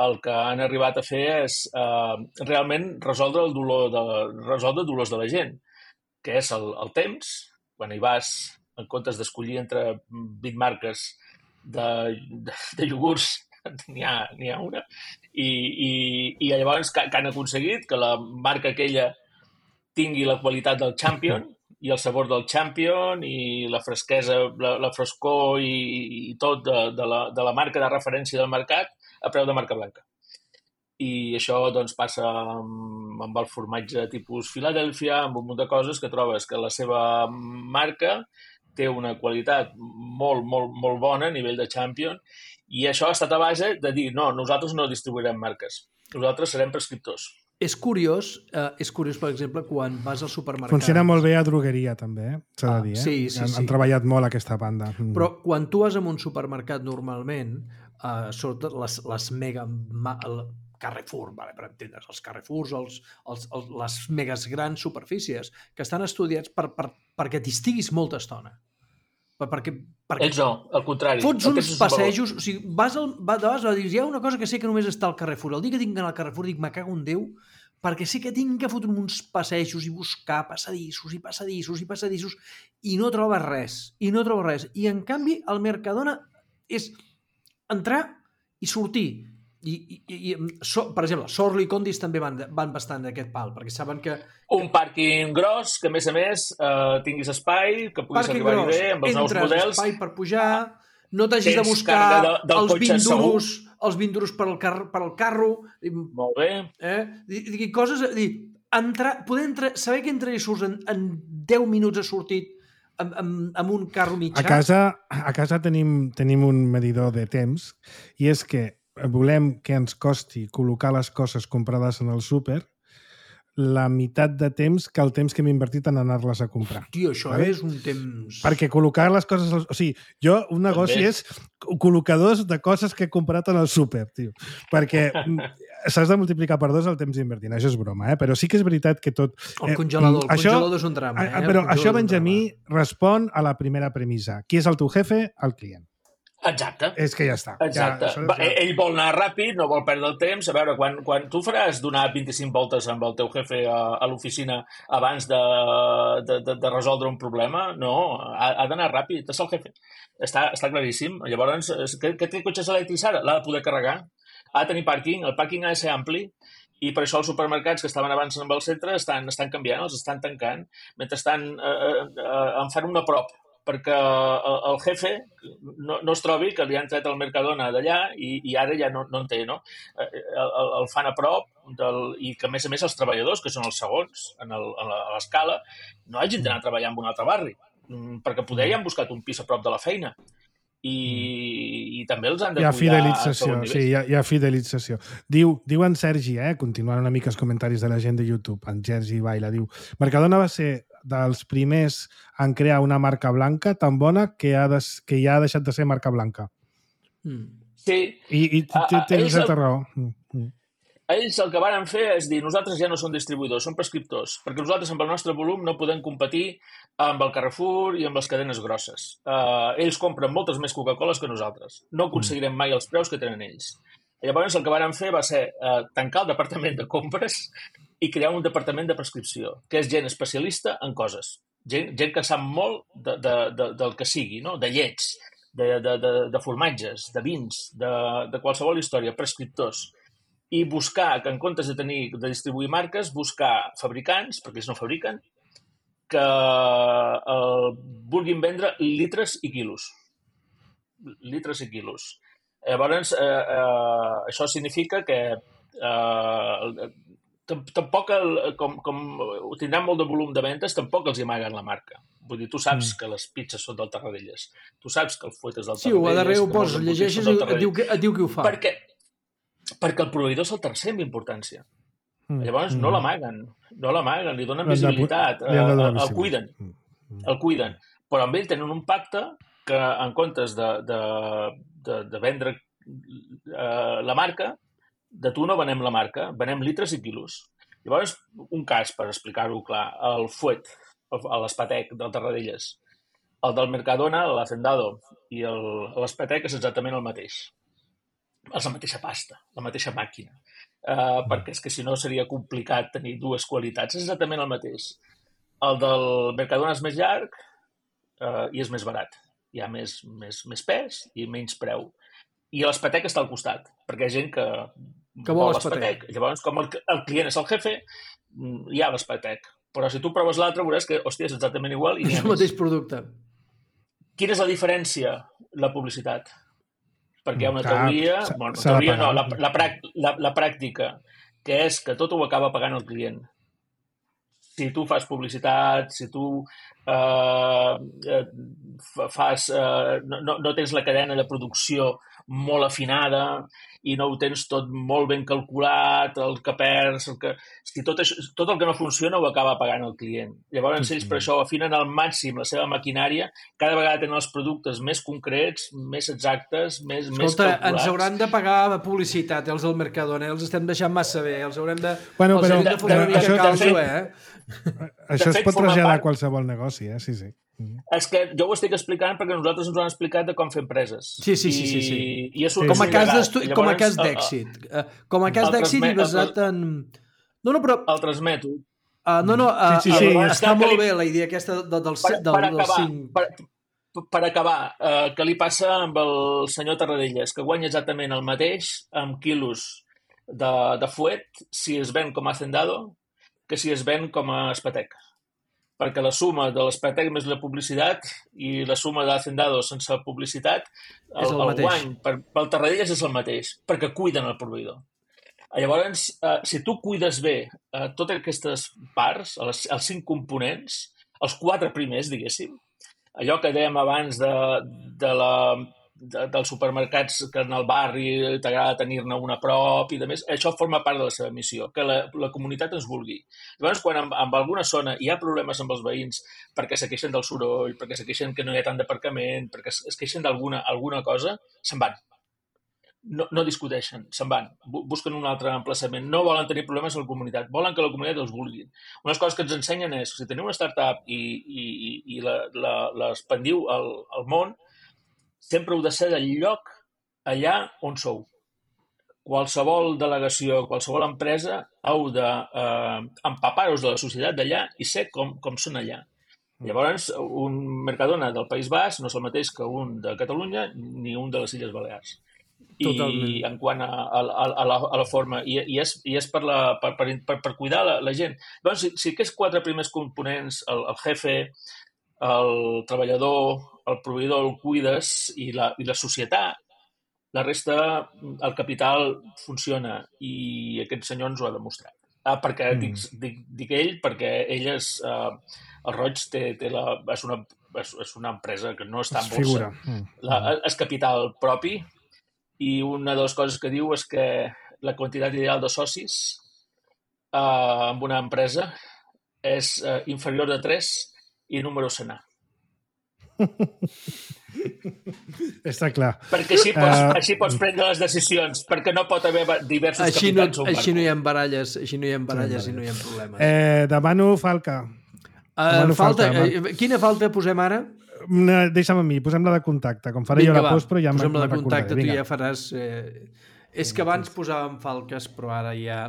el que han arribat a fer és eh, realment resoldre el dolor de, resoldre dolors de la gent, que és el, el temps, quan hi vas, en comptes d'escollir entre vint marques de, de, de iogurts, n'hi ha, n'hi ha una, i, i, i llavors que, que han aconseguit que la marca aquella tingui la qualitat del Champion, i el sabor del Champion i la fresquesa, la, la frescor i, i tot de, de, la, de la marca de referència del mercat a preu de marca blanca. I això doncs, passa amb, amb el formatge tipus Filadèlfia, amb un munt de coses que trobes que la seva marca té una qualitat molt, molt, molt bona a nivell de Champion i això ha estat a base de dir no, nosaltres no distribuirem marques, nosaltres serem prescriptors. És curiós, eh, és curiós, per exemple, quan vas al supermercat... Funciona molt bé a drogueria, també, eh? s'ha de dir. Eh? Sí, sí, han, sí. han treballat molt aquesta banda. Però quan tu vas a un supermercat, normalment, eh, sobretot les, les mega... El Carrefour, vale, per entendre's, els Carrefours, els, els, els, les megas grans superfícies, que estan estudiats per, per, perquè t'hi estiguis molta estona. Per, perquè, perquè Ells no, al contrari. Fots uns passejos, o sigui, vas al, vas, vas a dir, hi ha una cosa que sé que només està al Carrefour. El dia que tinc d'anar al Carrefour dic, me cago en Déu, perquè sé que tinc que fotre uns passejos i buscar passadissos i passadissos i passadissos i no trobes res, i no trobes res. I en canvi el Mercadona és entrar i sortir I, i, i so, per exemple, Sorlo i Condis també van, van bastant d'aquest pal, perquè saben que... Un pàrquing gros, que a més a més eh, tinguis espai, que puguis arribar-hi bé, amb els nous models. Espai per pujar, no t'hagis de buscar de, els vint duros, els vint duros per al, car per al carro. Molt bé. Eh? I, i coses... Dir, entrar, poder entrar, saber que entra i surts en, en deu minuts ha sortit amb, amb, amb un carro mitjà. A casa, a casa tenim, tenim un medidor de temps i és que volem que ens costi col·locar les coses comprades en el súper la meitat de temps que el temps que hem invertit en anar-les a comprar. Tio, això vale? És un temps... Perquè col·locar les coses... O sigui, jo, un negoci també és col·locadors de coses que he comprat en el súper, tio. Perquè s'has de multiplicar per dos el temps invertint. Això és broma, eh? Però sí que és veritat que tot... El congelador, el això, congelador és un drama. Eh? Però això, Benjamí, respon a la primera premissa. Qui és el teu jefe? El client. Exacte. És que ja està. Exacte. Ja, Va, ja... Ell vol anar ràpid, no vol perdre el temps. A veure, quan, quan tu faràs donar vint-i-cinc voltes amb el teu jefe a, a l'oficina abans de, de, de, de resoldre un problema, no, ha, ha d'anar ràpid. És el jefe. Està, està claríssim. Llavors, què, què té cotxes elèctrics ara? L'ha de poder carregar. Ha de tenir pàrquing. El pàrquing ha de ser ampli. I per això els supermercats que estaven abans amb el centre estan, estan canviant, els estan tancant, mentre estan, eh, eh, en fan una prop, perquè el jefe no, no es trobi que li han tret el Mercadona d'allà i, i ara ja no, no en té, no? El, el fan a prop del, i que, a més a més, els treballadors, que són els segons en l'escala, no hagin d'anar a treballar en un altre barri, perquè poder ja han buscat un pis a prop de la feina. I, i també els han de hi ha cuidar fidelització, sí, hi ha, hi ha fidelització. Diu, diu en Sergi, eh, continuant una mica els comentaris de la gent de YouTube, en Sergi Baila, diu, Mercadona va ser dels primers en crear una marca blanca tan bona que, ha des, que ja ha deixat de ser marca blanca. Mm. Sí. I, i tens certa raó. Mm. Ells el que varen fer és dir, nosaltres ja no som distribuïdors, som prescriptors, perquè nosaltres amb el nostre volum no podem competir amb el Carrefour i amb les cadenes grosses. Uh, ells compren moltes més Coca-Coles que nosaltres. No aconseguirem mai els preus que tenen ells. Llavors el que varen fer va ser uh, tancar el departament de compres i crear un departament de prescripció, que és gent especialista en coses. Gent, gent que sap molt de, de, de, del que sigui, no? De llets, de, de, de, de formatges, de vins, de, de qualsevol història, prescriptors. I buscar, que en comptes de tenir de distribuir marques, buscar fabricants, perquè ells no fabriquen, que eh, vulguin vendre litres i quilos. Litres i quilos. Llavors, eh, eh, això significa que eh, tampoc, el, com, com tindran molt de volum de ventes, tampoc els hi amaguen la marca. Vull dir, tu saps mm. que les pizzas són del Tarradellas. Tu saps que el fuet és del sí, Tarradellas. Sí, a darrere ho poses, llegeixes i et diu, et diu qui ho fa. Perquè, perquè el proveïdor és el tercer en importància. Mm. Llavors, mm. no l'amaguen. No l'amaguen, li donen visibilitat. Li han de el, el cuiden. Mm. El cuiden. Però amb ell tenen un pacte que, en comptes de, de, de, de vendre eh, la marca, de tu no venem la marca, venem litres i quilos. Llavors, un cas, per explicar-ho clar, el fuet, l'espatec del Tarradellas, el del Mercadona, l'Hacendado i l'espatec és exactament el mateix. És la mateixa pasta, la mateixa màquina. Uh, perquè és que si no seria complicat tenir dues qualitats. És exactament el mateix. El del Mercadona és més llarg uh, i és més barat. Hi ha més, més, més pes i menys preu. I l'espatec està al costat, perquè hi ha gent que, que vol l'espatec. Llavors, com el, el client és el jefe, hi ha l'espatec. Però si tu proves l'altre, veuràs que, hòstia, és exactament igual. I és el mateix producte. Quina és la diferència? La publicitat. Perquè hi ha una teoria, bueno, teoria no, la, la, la, la pràctica, que és que tot ho acaba pagant el client. Si tu fas publicitat, si tu eh, fas, eh, no, no tens la cadena de producció molt afinada i no ho tens tot molt ben calculat, el que perds, el que... Si tot, això, tot el que no funciona ho acaba pagant el client. Llavors ells per això afinen al màxim la seva maquinària, cada vegada tenen els productes més concrets, més exactes, més, Escolta, més calculats. Ens hauran de pagar publicitat, els del Mercadona, els estem deixant massa bé, els haurem de... Bueno, els però, hem de fotre una mica calço, eh? Això es pot traslladar a qualsevol negoci, eh? Sí, sí. És que jo ho estic explicant perquè nosaltres ens ho han explicat de com fer empreses. Sí, sí, sí. sí, sí. I, i sí. Com a cas d'estudi, com a cas d'èxit. Com a cas d'èxit i basat en... No, no, però... Altres mètodes. Uh, no, no, uh, sí, sí, sí. està molt bé la idea aquesta de, del, per, del, per acabar, del cinc. Per, per acabar, eh, què li passa amb el senyor Tarradellas, que guanya exactament el mateix amb quilos de, de fuet si es ven com a hacendado que si es ven com a espatec. Perquè la suma de l'espatec més la publicitat i la suma de hacendado sense publicitat, el, És el el mateix. guany per, pel Tarradellas és el mateix, perquè cuiden el proveïdor. Llavors, eh, si tu cuides bé eh, totes aquestes parts, els, els cinc components, els quatre primers, diguéssim, allò que dèiem abans de, de la, de, dels supermercats que en el barri t'agrada tenir-ne una a prop i de més, això forma part de la seva missió, que la, la comunitat ens vulgui. Llavors, quan en, en alguna zona hi ha problemes amb els veïns perquè se queixen del soroll, perquè se queixen que no hi ha tant d'aparcament, perquè es, es queixen d'alguna alguna cosa, se'n van. No, no discuteixen, se'n van, busquen un altre emplaçament, no volen tenir problemes a la comunitat, volen que la comunitat els vulgui. Unes coses que ens ensenyen és, si teniu una startup i, i, i l'expandiu al, al món, sempre heu de ser del lloc allà on sou. Qualsevol delegació, qualsevol empresa, heu d'empapar-vos de la societat d'allà i ser com, com són allà. Llavors, un Mercadona del País Basc no és el mateix que un de Catalunya ni un de les Illes Balears. Totalment. I en quant a, a, a, la, a la forma, i, i, és, i és per, la, per, per, per, per cuidar la, la gent. Doncs, si, si aquests quatre primers components, el, el jefe, el treballador, el proveïdor, el cuides i la, i la societat, la resta, el capital funciona i aquest senyor ens ho ha demostrat. Ah, perquè mm. dic, dic, dic ell, perquè ell és, eh, el Roig té, té la, és, una, és, és una empresa que no està en borsa. Mm. La, és capital propi. I una de les coses que diu és que la quantitat ideal de socis eh, en una empresa és eh, inferior de tres i número senar. Està clar. Perquè així pots, uh... així pots prendre les decisions, perquè no pot haver diversos així no, capitans. Així no hi ha baralles, així no hi ha baralles i no hi ha problemes. Eh, demano Falca. Uh, demano falta, falta uh, quina falta posem ara? Una, deixa'm a mi, posem la de contacte. Com faré Vinga, jo la post, però ja me'n recordaré. Posem la de contacte, tu Vinga. ja faràs... Eh... És que abans posàvem falques, però ara ja...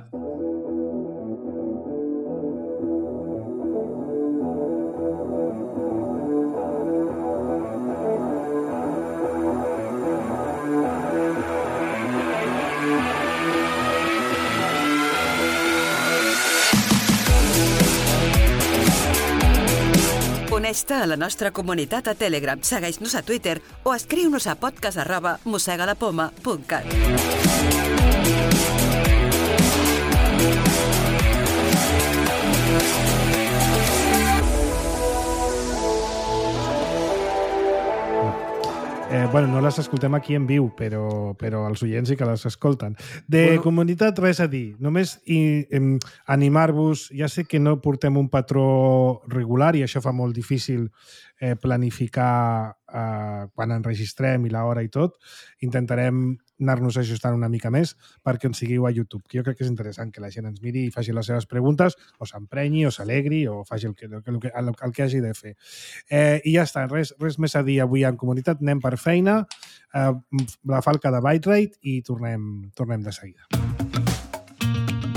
Uneix-te a la nostra comunitat a Telegram, segueix-nos a Twitter o escriu-nos a podcast arroba mosegalapoma punt cat. Eh, bueno, no les escoltem aquí en viu, però, però els oients sí que les escolten. De bueno, comunitat, res a dir. Només i, em, animar-vos. Ja sé que no portem un patró regular i això fa molt difícil eh, planificar eh, quan enregistrem i l'hora i tot. Intentarem anar-nos ajustant una mica més perquè ens seguiu a YouTube, que jo crec que és interessant que la gent ens miri i faci les seves preguntes, o s'emprenyi, o s'alegri, o faci el que, el, que, el, el que hagi de fer. Eh, I ja està, res, res més a dir avui en comunitat, anem per feina, eh, la falca de ByteRite i tornem, tornem de seguida.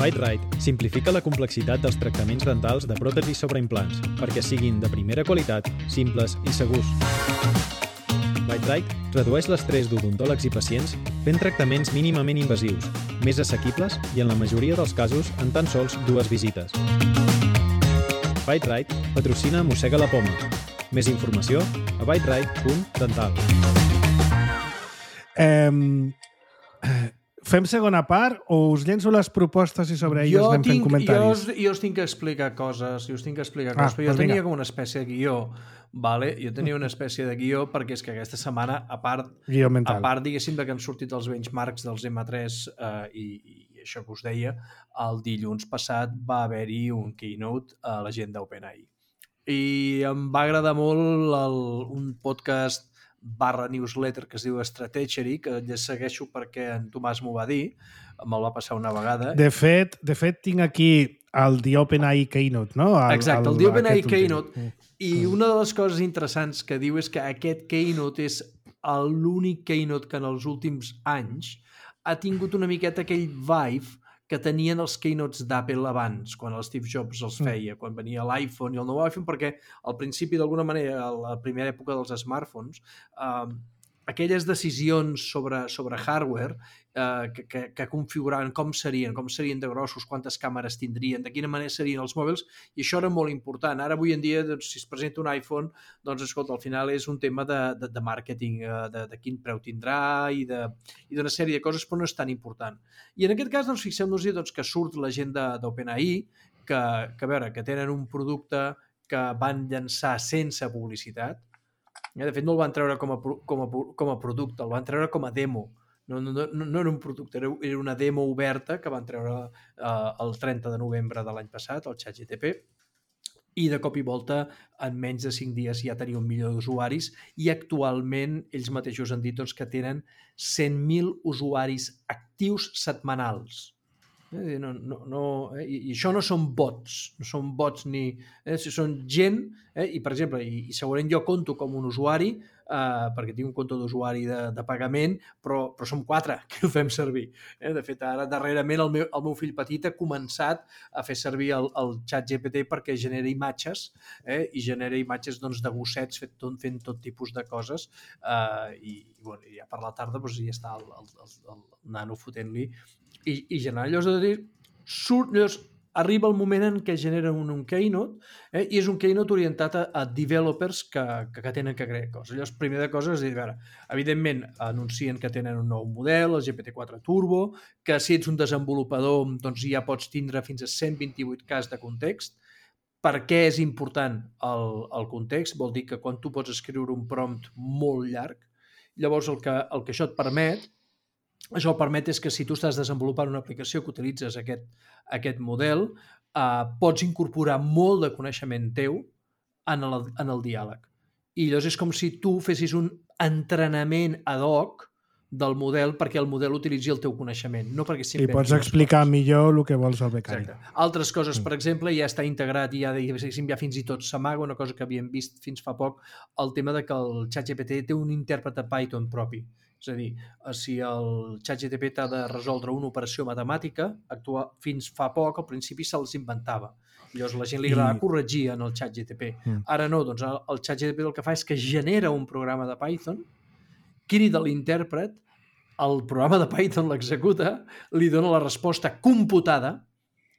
ByteRite simplifica la complexitat dels tractaments dentals de pròtesis sobre implants perquè siguin de primera qualitat, simples i segurs. ByteRite redueix l'estrès d'odontòlegs i pacients fent tractaments mínimament invasius, més assequibles i, en la majoria dels casos, en tan sols dues visites. ByteRite patrocina Mossega la Poma. Més informació a byterite punt dental. Eh, fem segona part o us llenço les propostes i sobre elles anem fent comentaris? Jo, jo us tinc que explicar coses, jo us tinc que explicar coses, ah, però jo doncs tenia vinga. com una espècie de guió, vale? Jo tenia una espècie de guió perquè és que aquesta setmana, a part, guió mental. a part diguéssim, que han sortit els benchmarks dels ema tres eh, i, i això que us deia, el dilluns passat va haver-hi un keynote a la gent d'OpenAI. I em va agradar molt el, un podcast barra newsletter que es diu Stratechery, que ja segueixo perquè en Tomàs m'ho va dir, me'l va passar una vegada. De fet, de fet tinc aquí el The OpenAI Keynote, no? El, Exacte, el, el The OpenAI Keynote. Mm. I una de les coses interessants que diu és que aquest Keynote és l'únic Keynote que en els últims anys ha tingut una miqueta aquell vibe que tenien els keynotes d'Apple abans, quan el Steve Jobs els feia, quan venia l'iPhone i el nou iPhone, perquè al principi, d'alguna manera, a la primera època dels smartphones, eh, aquelles decisions sobre, sobre hardware eh, que, que, que configuraven com serien, com serien de grossos, quantes càmeres tindrien, de quina manera serien els mòbils, i això era molt important. Ara, avui en dia, doncs, si es presenta un iPhone, doncs, escolta, al final és un tema de, de, de màrqueting, de, de quin preu tindrà i d'una sèrie de coses, però no és tan important. I en aquest cas, doncs, fixem-nos doncs, que surt la gent d'OpenAI, que, que, a veure, que tenen un producte que van llançar sense publicitat. De fet, no el van treure com a, com a, com a producte, el van treure com a demo. No, no, no, no era un producte, era una demo oberta que van treure eh, el trenta de novembre de l'any passat, el ChatGPT, i de cop i volta, en menys de cinc dies ja tenia un milió d'usuaris i actualment ells mateixos han dit doncs, que tenen cent mil usuaris actius setmanals. Eh? No, no, no, eh? I, I això no són bots, no són bots ni... Eh? Són gent, eh? I per exemple, i, i segurament jo conto com un usuari, eh? perquè tinc un compte d'usuari de, de pagament, però, però som quatre que ho fem servir. Eh? De fet, ara darrerament el meu, el meu fill petit ha començat a fer servir el, el ChatGPT perquè genera imatges, eh? I genera imatges doncs, de gossets fent tot, fent tot tipus de coses, eh? I, i bueno, ja per la tarda doncs, ja està el, el, el, el nano fotent-li i, i generar llavors de dir, surt, llavors arriba el moment en què genera un, un keynote, eh, i és un keynote orientat a, a developers que, que, que tenen que crear coses. Llavors, primer de coses, és dir, veure, evidentment anuncien que tenen un nou model, el G P T quatre Turbo, que si ets un desenvolupador doncs ja pots tindre fins a cent vint-i-vuit K de context. Per què és important el, el context? Vol dir que quan tu pots escriure un prompt molt llarg, llavors el que, el que això et permet Això el permet és que si tu estàs desenvolupant una aplicació que utilitzes aquest, aquest model, eh, pots incorporar molt de coneixement teu en el, en el diàleg. I llavors és com si tu fessis un entrenament ad hoc del model perquè el model utilitzi el teu coneixement, no perquè I pots explicar coses. Millor el que vols al becari. Exacte. Altres coses, per exemple, ja està integrat i ja, ja fins i tot s'amaga, una cosa que havíem vist fins fa poc, el tema de que el ChatGPT té un intèrpret de Python propi. És a dir, si el ChatGPT t'ha de resoldre una operació matemàtica, actua, fins fa poc, al principi se'ls inventava. Llavors la gent li agrada I... corregir en el ChatGPT. Mm. Ara no, doncs el ChatGPT el que fa és que genera un programa de Python, crida l'intèrpret, el programa de Python l'executa, li dona la resposta computada,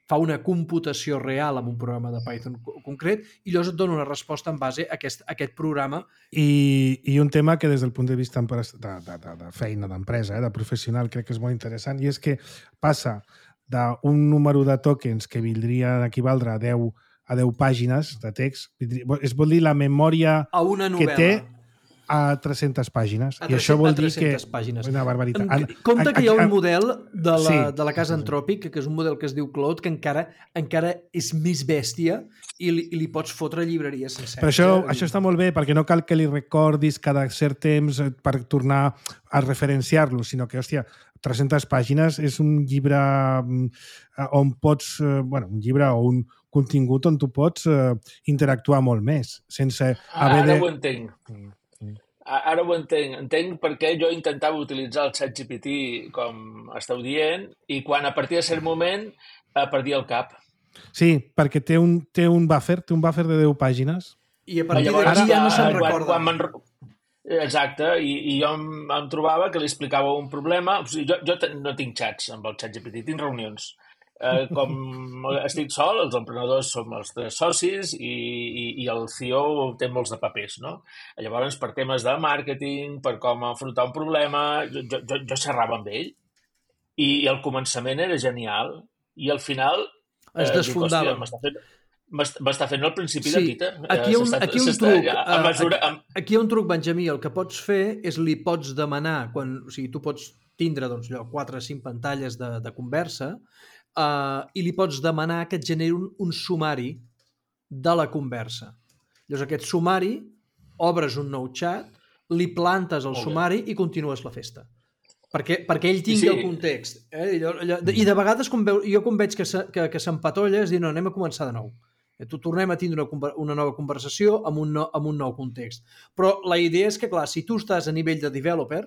fa una computació real amb un programa de Python concret i llavors et dona una resposta en base a aquest, a aquest programa. I, I un tema que des del punt de vista de, de, de, de feina, d'empresa, eh, de professional, crec que és molt interessant, i és que passa d'un número de tokens que vindria d'equivaldre a deu, a deu pàgines de text, es vol dir la memòria a una novel·la. Que té a tres-centes pàgines. A I això vol dir que pàgines. Una barbaritat. En, Compte que hi ha un model de la, sí. de la casa Anthropic, que és un model que es diu Claude, que encara encara és més bèstia i li, i li pots fotre llibreries senceres. Però això, eh? això està molt bé, perquè no cal que li recordis cada cert temps per tornar a referenciar-lo, sinó que, hòstia, tres-centes pàgines és un llibre on pots... Bueno, un llibre o un contingut on tu pots uh, interactuar molt més, sense haver Ara de... ho entenc. Ara ho entenc. Entenc perquè jo intentava utilitzar el ChatGPT com esteu dient i quan a partir de cert moment eh, perdia el cap. Sí, perquè té un, té un buffer, té un buffer de deu pàgines. I a partir d'aquí ja no se'n recorda. Quan, quan Exacte, i, i jo em, em trobava que li explicava un problema. O sigui, jo, jo no tinc xats amb el ChatGPT, tinc reunions. Eh, com estic sol, els emprenedors som els tres socis i, i, i el C E O té molts de papers, no? Llavors, per temes de màrqueting, per com afrontar un problema, jo, jo, jo xerrava amb ell i, i el començament era genial i al final es desfondava. Eh, m'està fent, m'està fent el principi sí, de Tita. Aquí hi ha un, aquí un truc, a mesura, amb... aquí hi ha un truc, Benjamí, el que pots fer és li pots demanar, quan, o sigui, tu pots tindre doncs, quatre o cinc pantalles de, de conversa, Uh, i li pots demanar que et generi un, un sumari de la conversa. Llavors aquest sumari, obres un nou xat, li plantes el sumari i continues la festa. Perquè, perquè ell tingui sí. el context. Eh? I, allò, I de vegades, com veu, jo com veig que, se, que, que s'empatolla, és dir, no, anem a començar de nou. Eh, tu tornem a tindre una, una nova conversació amb un, no, amb un nou context. Però la idea és que, clar, si tu estàs a nivell de developer,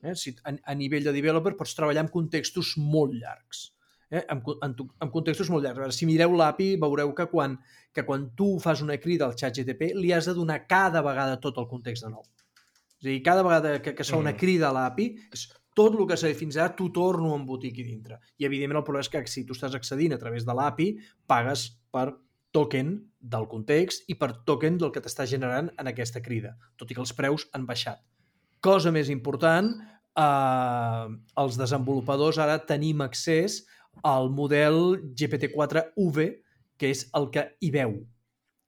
eh, si, a, a nivell de developer pots treballar amb contextos molt llargs. Eh? En, en, en contextos molt llargs. Si mireu l'A P I, veureu que quan, que quan tu fas una crida al ChatGPT li has de donar cada vegada tot el context de nou. És a dir, cada vegada que, que es fa una crida a l'A P I, és tot el que s'ha dit fins ara, t'ho torno a embotir aquí dintre. I, evidentment, el problema és que si tu estàs accedint a través de l'A P I, pagues per token del context i per token del que t'està generant en aquesta crida, tot i que els preus han baixat. Cosa més important, eh, els desenvolupadors ara tenim accés al model G P T quatre U-V, que és el que hi veu.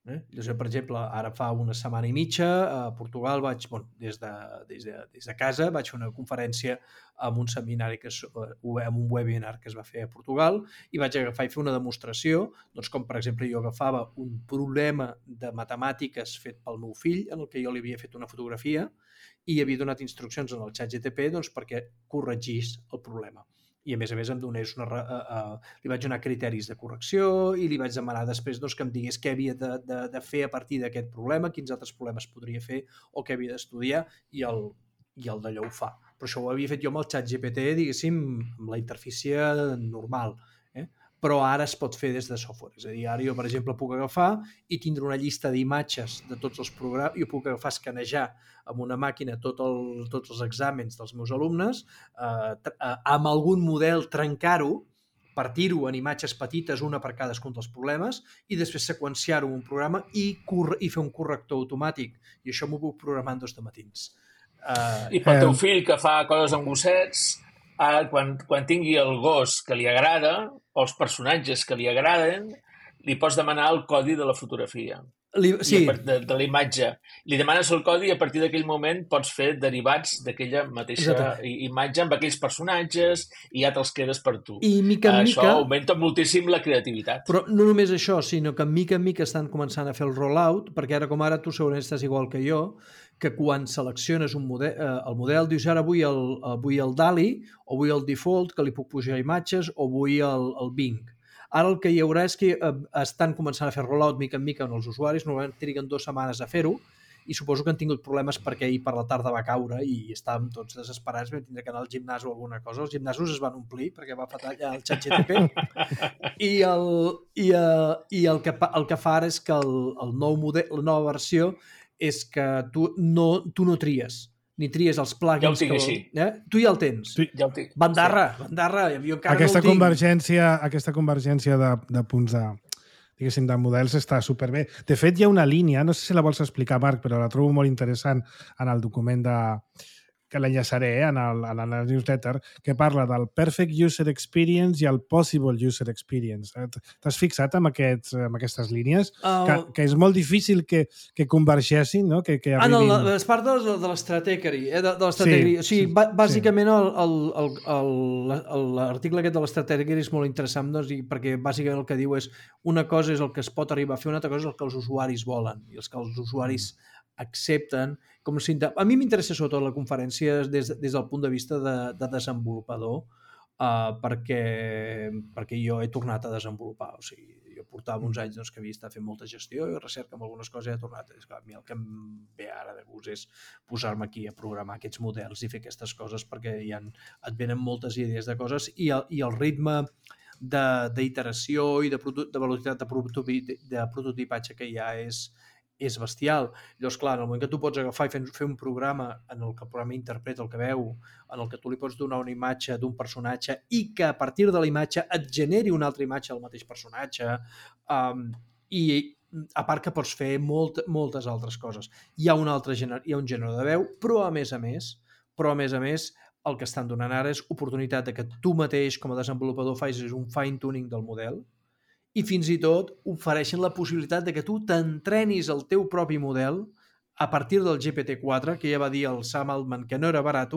Eh? Jo, per exemple, ara fa una setmana i mitja a Portugal vaig, bueno, des de, des de, des de casa vaig fer una conferència amb un seminari, que és, amb un webinar que es va fer a Portugal, i vaig agafar i fer una demostració, doncs com per exemple jo agafava un problema de matemàtiques fet pel meu fill, en el que jo li havia fet una fotografia i havia donat instruccions en el ChatGPT doncs, perquè corregís el problema. I a més a més em donés una, uh, uh, li vaig donar criteris de correcció i li vaig demanar després doncs, que em digués què havia de, de, de fer a partir d'aquest problema, quins altres problemes podria fer o què havia d'estudiar, i el, i el d'allò ho fa. Però això ho havia fet jo amb el ChatGPT, diguéssim, amb la interfície normal. Eh? Però ara es pot fer des de software. És a dir, ara jo, per exemple, puc agafar i tindre una llista d'imatges de tots els programes, jo puc agafar, escanejar amb una màquina tot el, tots els exàmens dels meus alumnes, eh, eh, amb algun model trencar-ho, partir-ho en imatges petites, una per cadascun dels problemes, i després seqüenciar-ho en un programa i, i fer un corrector automàtic. I això m'ho puc programar en dos de matins. Uh, I pel teu fill, que fa coses amb gossets, uh, quan, quan tingui el gos que li agrada, o els personatges que li agraden, li pots demanar el codi de la fotografia. Li, sí. de, de la imatge. Li demanes el codi i a partir d'aquell moment pots fer derivats d'aquella mateixa Exacte. imatge amb aquells personatges i ja te'ls quedes per tu. I mica en això mica... augmenta moltíssim la creativitat. Però no només això, sinó que mica en mica estan començant a fer el rollout, perquè ara com ara tu segurament estàs igual que jo, que quan selecciones un model, eh, el model, dius ara vull el, vull el DALL-E, o vull el default, que li puc pujar imatges, o vull el, el Bing. Ara el que hi haurà és que eh, estan començant a fer rollout mica en mica en els usuaris, normalment triguen dues setmanes a fer-ho, i suposo que han tingut problemes perquè ahir per la tarda va caure i estàvem tots desesperats, vam tindre que anar al gimnàs o alguna cosa. Els gimnasos es van omplir perquè va faltar allà el ChatGPT i, el, i, uh, i el, que, el que fa ara és que el, el nou model, la nova versió és que tu no, tu no tries ni tries els plugins. Ja ho tinc que, així. Eh? Tu ja el tens. Sí. Ja ho tinc. Bandarra, sí. bandarra. Jo encara aquesta no el convergència, aquesta convergència de, de punts de, diguéssim, de models està superbé. De fet, hi ha una línia, no sé si la vols explicar, Marc, però la trobo molt interessant en el document de, que l'enllaçaré eh, en, el, en la newsletter, que parla del Perfect User Experience i el Possible User Experience. T'has fixat en, aquests, en aquestes línies? Uh, que, que és molt difícil que, que convergeixin, no? Que, que arribin... Ah, no, és part de, de l'estratègery. Eh? De, de l'estratègery. Sí, o sigui, sí, bàsicament sí. l'article aquest de l'estratègery és molt interessant, doncs, i perquè bàsicament el que diu és una cosa és el que es pot arribar a fer, una altra cosa és el que els usuaris volen i els que els usuaris mm. accepten. Com si... A mi m'interessa sobretot la conferència des, des del punt de vista de, de desenvolupador, uh, perquè, perquè jo he tornat a desenvolupar. O sigui, jo portava uns anys doncs, que havia estat fent molta gestió i recerca amb algunes coses i he tornat. És clar, a mi el que em ve ara de gust és posar-me aquí a programar aquests models i fer aquestes coses perquè hi ha, et venen moltes idees de coses i el, i el ritme d'iteració i de, de velocitat de, prototipi, de prototipatge que hi ha és és bestial. Llavors, clar, en el moment que tu pots agafar i fer, fer un programa en el que el programa interpreta el que veu, en el que tu li pots donar una imatge d'un personatge i que a partir de la imatge et generi una altra imatge del mateix personatge, um, i a part que pots fer molt, moltes altres coses. Hi ha un altre gènere, hi ha un gènere de veu, però a més a més, però a més a més, el que estan donant ara és oportunitat de que tu mateix, com a desenvolupador, facis un fine-tuning del model, i fins i tot ofereixen la possibilitat de que tu t'entrenis el teu propi model a partir del G P T quatre, que ja va dir el Sam Altman que no era barat,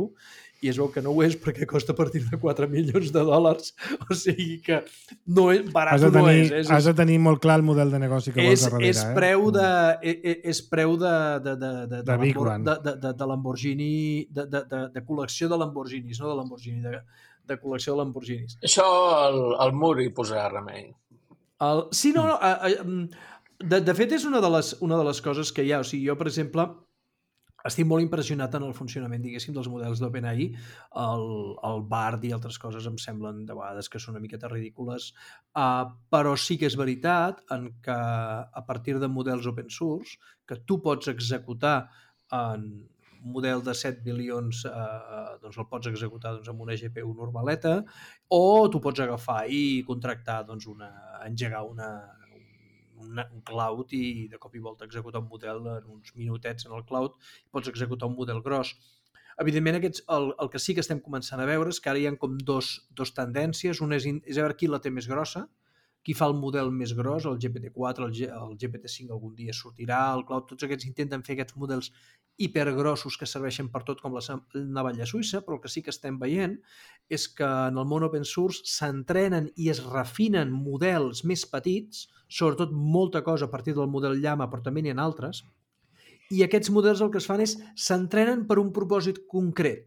i es veu que no ho és perquè costa a partir de quatre milions de dòlars, o sigui que no és, barat tenir, no és. és. Has de tenir molt clar el model de negoci que és, vols darrere. És preu de, eh? és preu de, de, de, de, de, de, de, de, de, de Lamborghini, de, de, de, de col·lecció de Lamborghinis, no de Lamborghini, de, de col·lecció de Lamborghinis. Això al, al mur hi posarà remei. El, sí, no, no de, de fet és una de, les, una de les coses que hi ha. O sigui, jo, per exemple, estic molt impressionat en el funcionament, diguéssim, dels models d'OpenAI. El, el Bard i altres coses em semblen de vegades que són una miqueta ridícules, uh, però sí que és veritat en que a partir de models open source que tu pots executar en un model de set bilions, eh, doncs el pots executar doncs, amb una G P U normaleta, o tu pots agafar i contractar, doncs, una, engegar una un cloud i de cop i volta executar un model en uns minutets en el cloud i pots executar un model gros. Evidentment, aquests, el, el que sí que estem començant a veure és que ara hi ha com dos, dos tendències. Una és, és a veure qui la té més grossa, qui fa el model més gros, el G P T quatre, el, G, el G P T cinc algun dia sortirà, el cloud, tots aquests intenten fer aquests models hipergrossos que serveixen per tot com la navalla suïssa, però el que sí que estem veient és que en el món open source s'entrenen i es refinen models més petits, sobretot molta cosa a partir del model Llama, però també n'hi ha altres, i aquests models el que es fan és s'entrenen per un propòsit concret.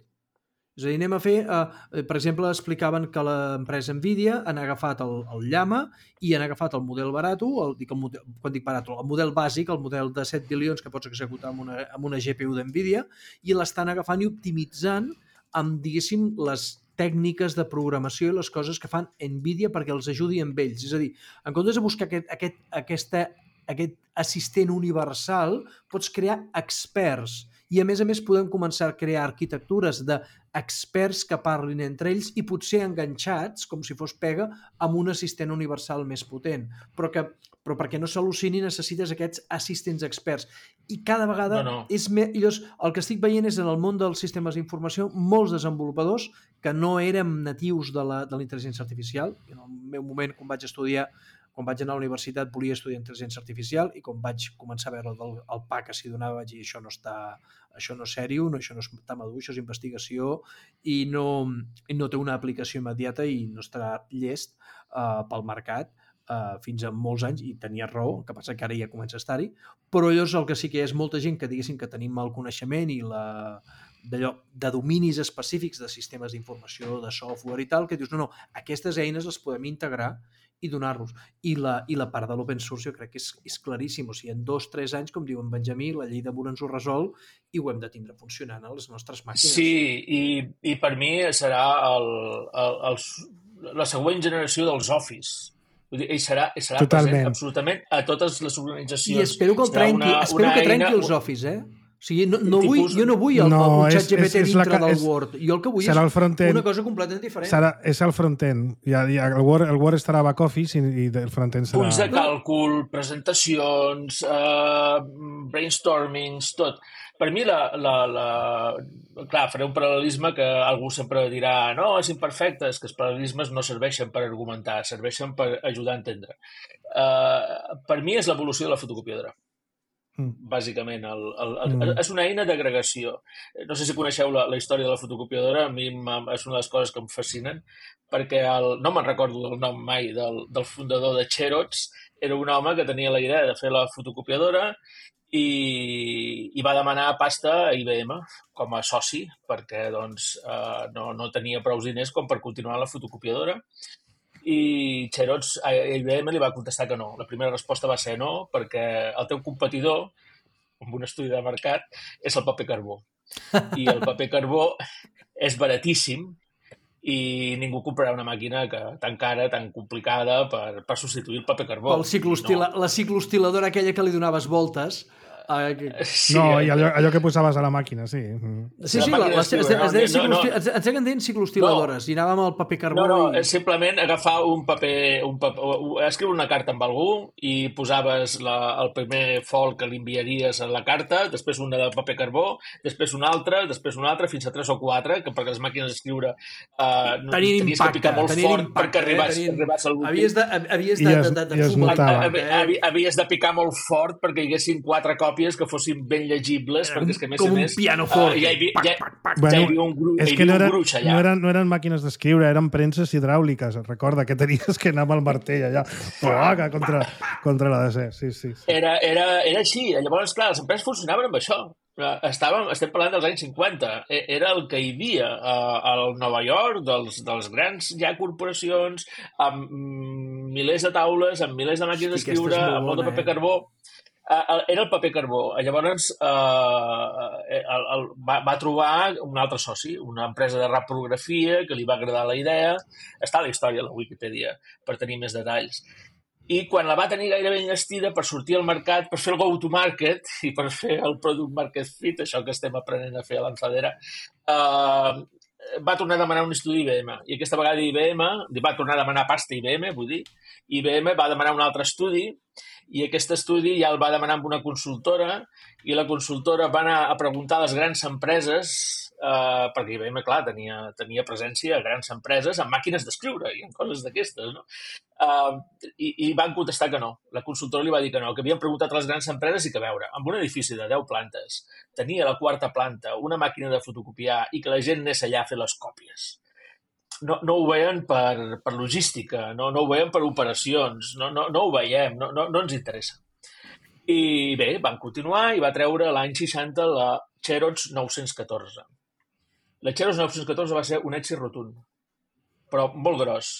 És a dir, anem a fer, eh, per exemple, explicaven que l'empresa Nvidia han agafat el, el Llama i han agafat el model barato, el, dic el model, quan dic barato, el model bàsic, el model de set bilions que pots executar amb una, amb una G P U d'Nvidia, i l'estan agafant i optimitzant amb, diguéssim, les tècniques de programació i les coses que fan Nvidia perquè els ajudi amb ells. És a dir, en comptes de buscar aquest, aquest, aquesta, aquest assistent universal, pots crear experts. I, a més a més, podem començar a crear arquitectures d'experts que parlin entre ells i potser enganxats, com si fos pega, amb un assistent universal més potent. Però, que, però perquè no s'al·lucini necessites aquests assistents experts. I cada vegada no, no. és més... Llavors, el que estic veient és en el món dels sistemes d'informació molts desenvolupadors que no érem natius de la, de la intel·ligència artificial. En el meu moment, quan vaig estudiar quan vaig anar a la universitat volia estudiar intel·ligència artificial i quan vaig començar a veure el, el P A que s'hi donava vaig dir això no està, això no és sèrio, no, això no està madur, això és investigació i no, i no té una aplicació immediata i no estarà llest uh, pel mercat uh, fins a molts anys, i tenia raó, el que passa que ara ja comença a estar-hi, però llavors el que sí que hi és molta gent que diguéssim que tenim el coneixement i la d'allò, de dominis específics de sistemes d'informació, de software i tal, que dius, no, no, aquestes eines les podem integrar i donar-los. I la, i la part de l'open source jo crec que és, és claríssim. O sigui, en dos o tres anys, com diu en Benjamí, la llei de Moore ens ho resol i ho hem de tindre funcionant a les nostres màquines. Sí, i, i per mi serà el, el, el, la següent generació dels Office. Vull dir, ell serà, serà present absolutament a totes les organitzacions. I espero que el trenqui, una, espero una que trenqui eina... els Office, eh? O sigui, no, no vull, jo no vull el, no, el xat G P T dintre la, del és, Word. Jo el que vull és una cosa completament diferent. Serà, és el front-end. Ja, ja, el, Word, el Word estarà a back-office i, i el front-end serà... Punts de càlcul, presentacions, uh, brainstormings, tot. Per mi, la, la, la... clar, faré un paral·lelisme que algú sempre dirà no, és imperfecte, és que els paral·lelismes no serveixen per argumentar, serveixen per ajudar a entendre. Uh, per mi és l'evolució de la fotocopiadora. Mm. Bàsicament, el, el, el, mm. és una eina d'agregació. No sé si coneixeu la, la història de la fotocopiadora, a mi és una de les coses que em fascinen, perquè el, no me'n recordo del nom mai del, del fundador de Xerox, era un home que tenia la idea de fer la fotocopiadora i, i va demanar pasta a I B M com a soci, perquè doncs, eh, no, no tenia prou diners com per continuar la fotocopiadora. I Xerox a I B M li va contestar que no. La primera resposta va ser no, perquè el teu competidor, amb un estudi de mercat, és el paper carbó. I el paper carbó és baratíssim i ningú comprarà una màquina que, tan cara, tan complicada per, per substituir el paper carbó. El ciclostila, no. La ciclostiladora aquella que li donaves voltes... Uh, sí, no, i allò, allò que posaves a la màquina, sí. Sí, sí, la, les, es, es, es, no, no. Ens seguien dient ciclostiladores no. I anàvem al paper carbó. No, no, i... simplement agafar un paper, un paper, escriure una carta amb algú i posaves la, el primer fol que li enviaries a la carta, després una de paper carbó, després una altra, després una altra, fins a tres o quatre, que perquè les màquines d'escriure uh, no, tenies impacte, que picar molt fort impacte, perquè arribàs, tenien... arribàs al l'últim. Havies de, havies de, de, de, de fumar. Havies de picar molt fort perquè hi haguessin quatre còpies que fossin ben llegibles, perquè és que a més com a més... un piano fort. Uh, ja, hi, ja, ja, bueno, ja hi havia un, gru, és hi que no, havia era, un gruix allà. No eren, no eren màquines d'escriure, eren premses hidràuliques. Recorda que tenies que anar amb el martell allà plaga contra, contra la D C. Sí, sí, sí. Era, era, era així. Llavors, clar, les empreses funcionaven amb això. Estàvem, estem parlant dels anys cinquanta. Era el que hi havia al Nova York, dels, dels grans ja corporacions, amb milers de taules, amb milers de màquines d'escriure, amb molt de paper carbó. era el paper carbó. Llavors uh, el, el, va, va trobar un altre soci, una empresa de reprografia que li va agradar la idea. Està a la història a la Wikipedia per tenir més detalls. I quan la va tenir gairebé enllestida per sortir al mercat, per fer el go-to-market i per fer el product market fit, això que estem aprenent a fer a l'Enfadera, uh, va tornar a demanar un estudi I B M. I aquesta vegada I B M, va tornar a demanar pasta I B M, vull dir, I B M va demanar un altre estudi i aquest estudi ja el va demanar amb una consultora i la consultora va anar a preguntar a les grans empreses, eh, perquè I B M, clar, tenia, tenia presència a grans empreses amb màquines d'escriure i en coses d'aquestes, no? Uh, i, i van contestar que no. La consultora li va dir que no, que havien preguntat a les grans empreses i que, a veure, amb un edifici de deu plantes tenia a la quarta planta una màquina de fotocopiar i que la gent anés allà a fer les còpies. No, no ho veien per, per logística, no, no ho veien per operacions, no, no, no ho veiem, no, no, no ens interessa. I bé, van continuar i va treure l'any seixanta la Xerox nou-cents catorze. La Xerox nou-cents catorze va ser un èxit rotund, però molt gros.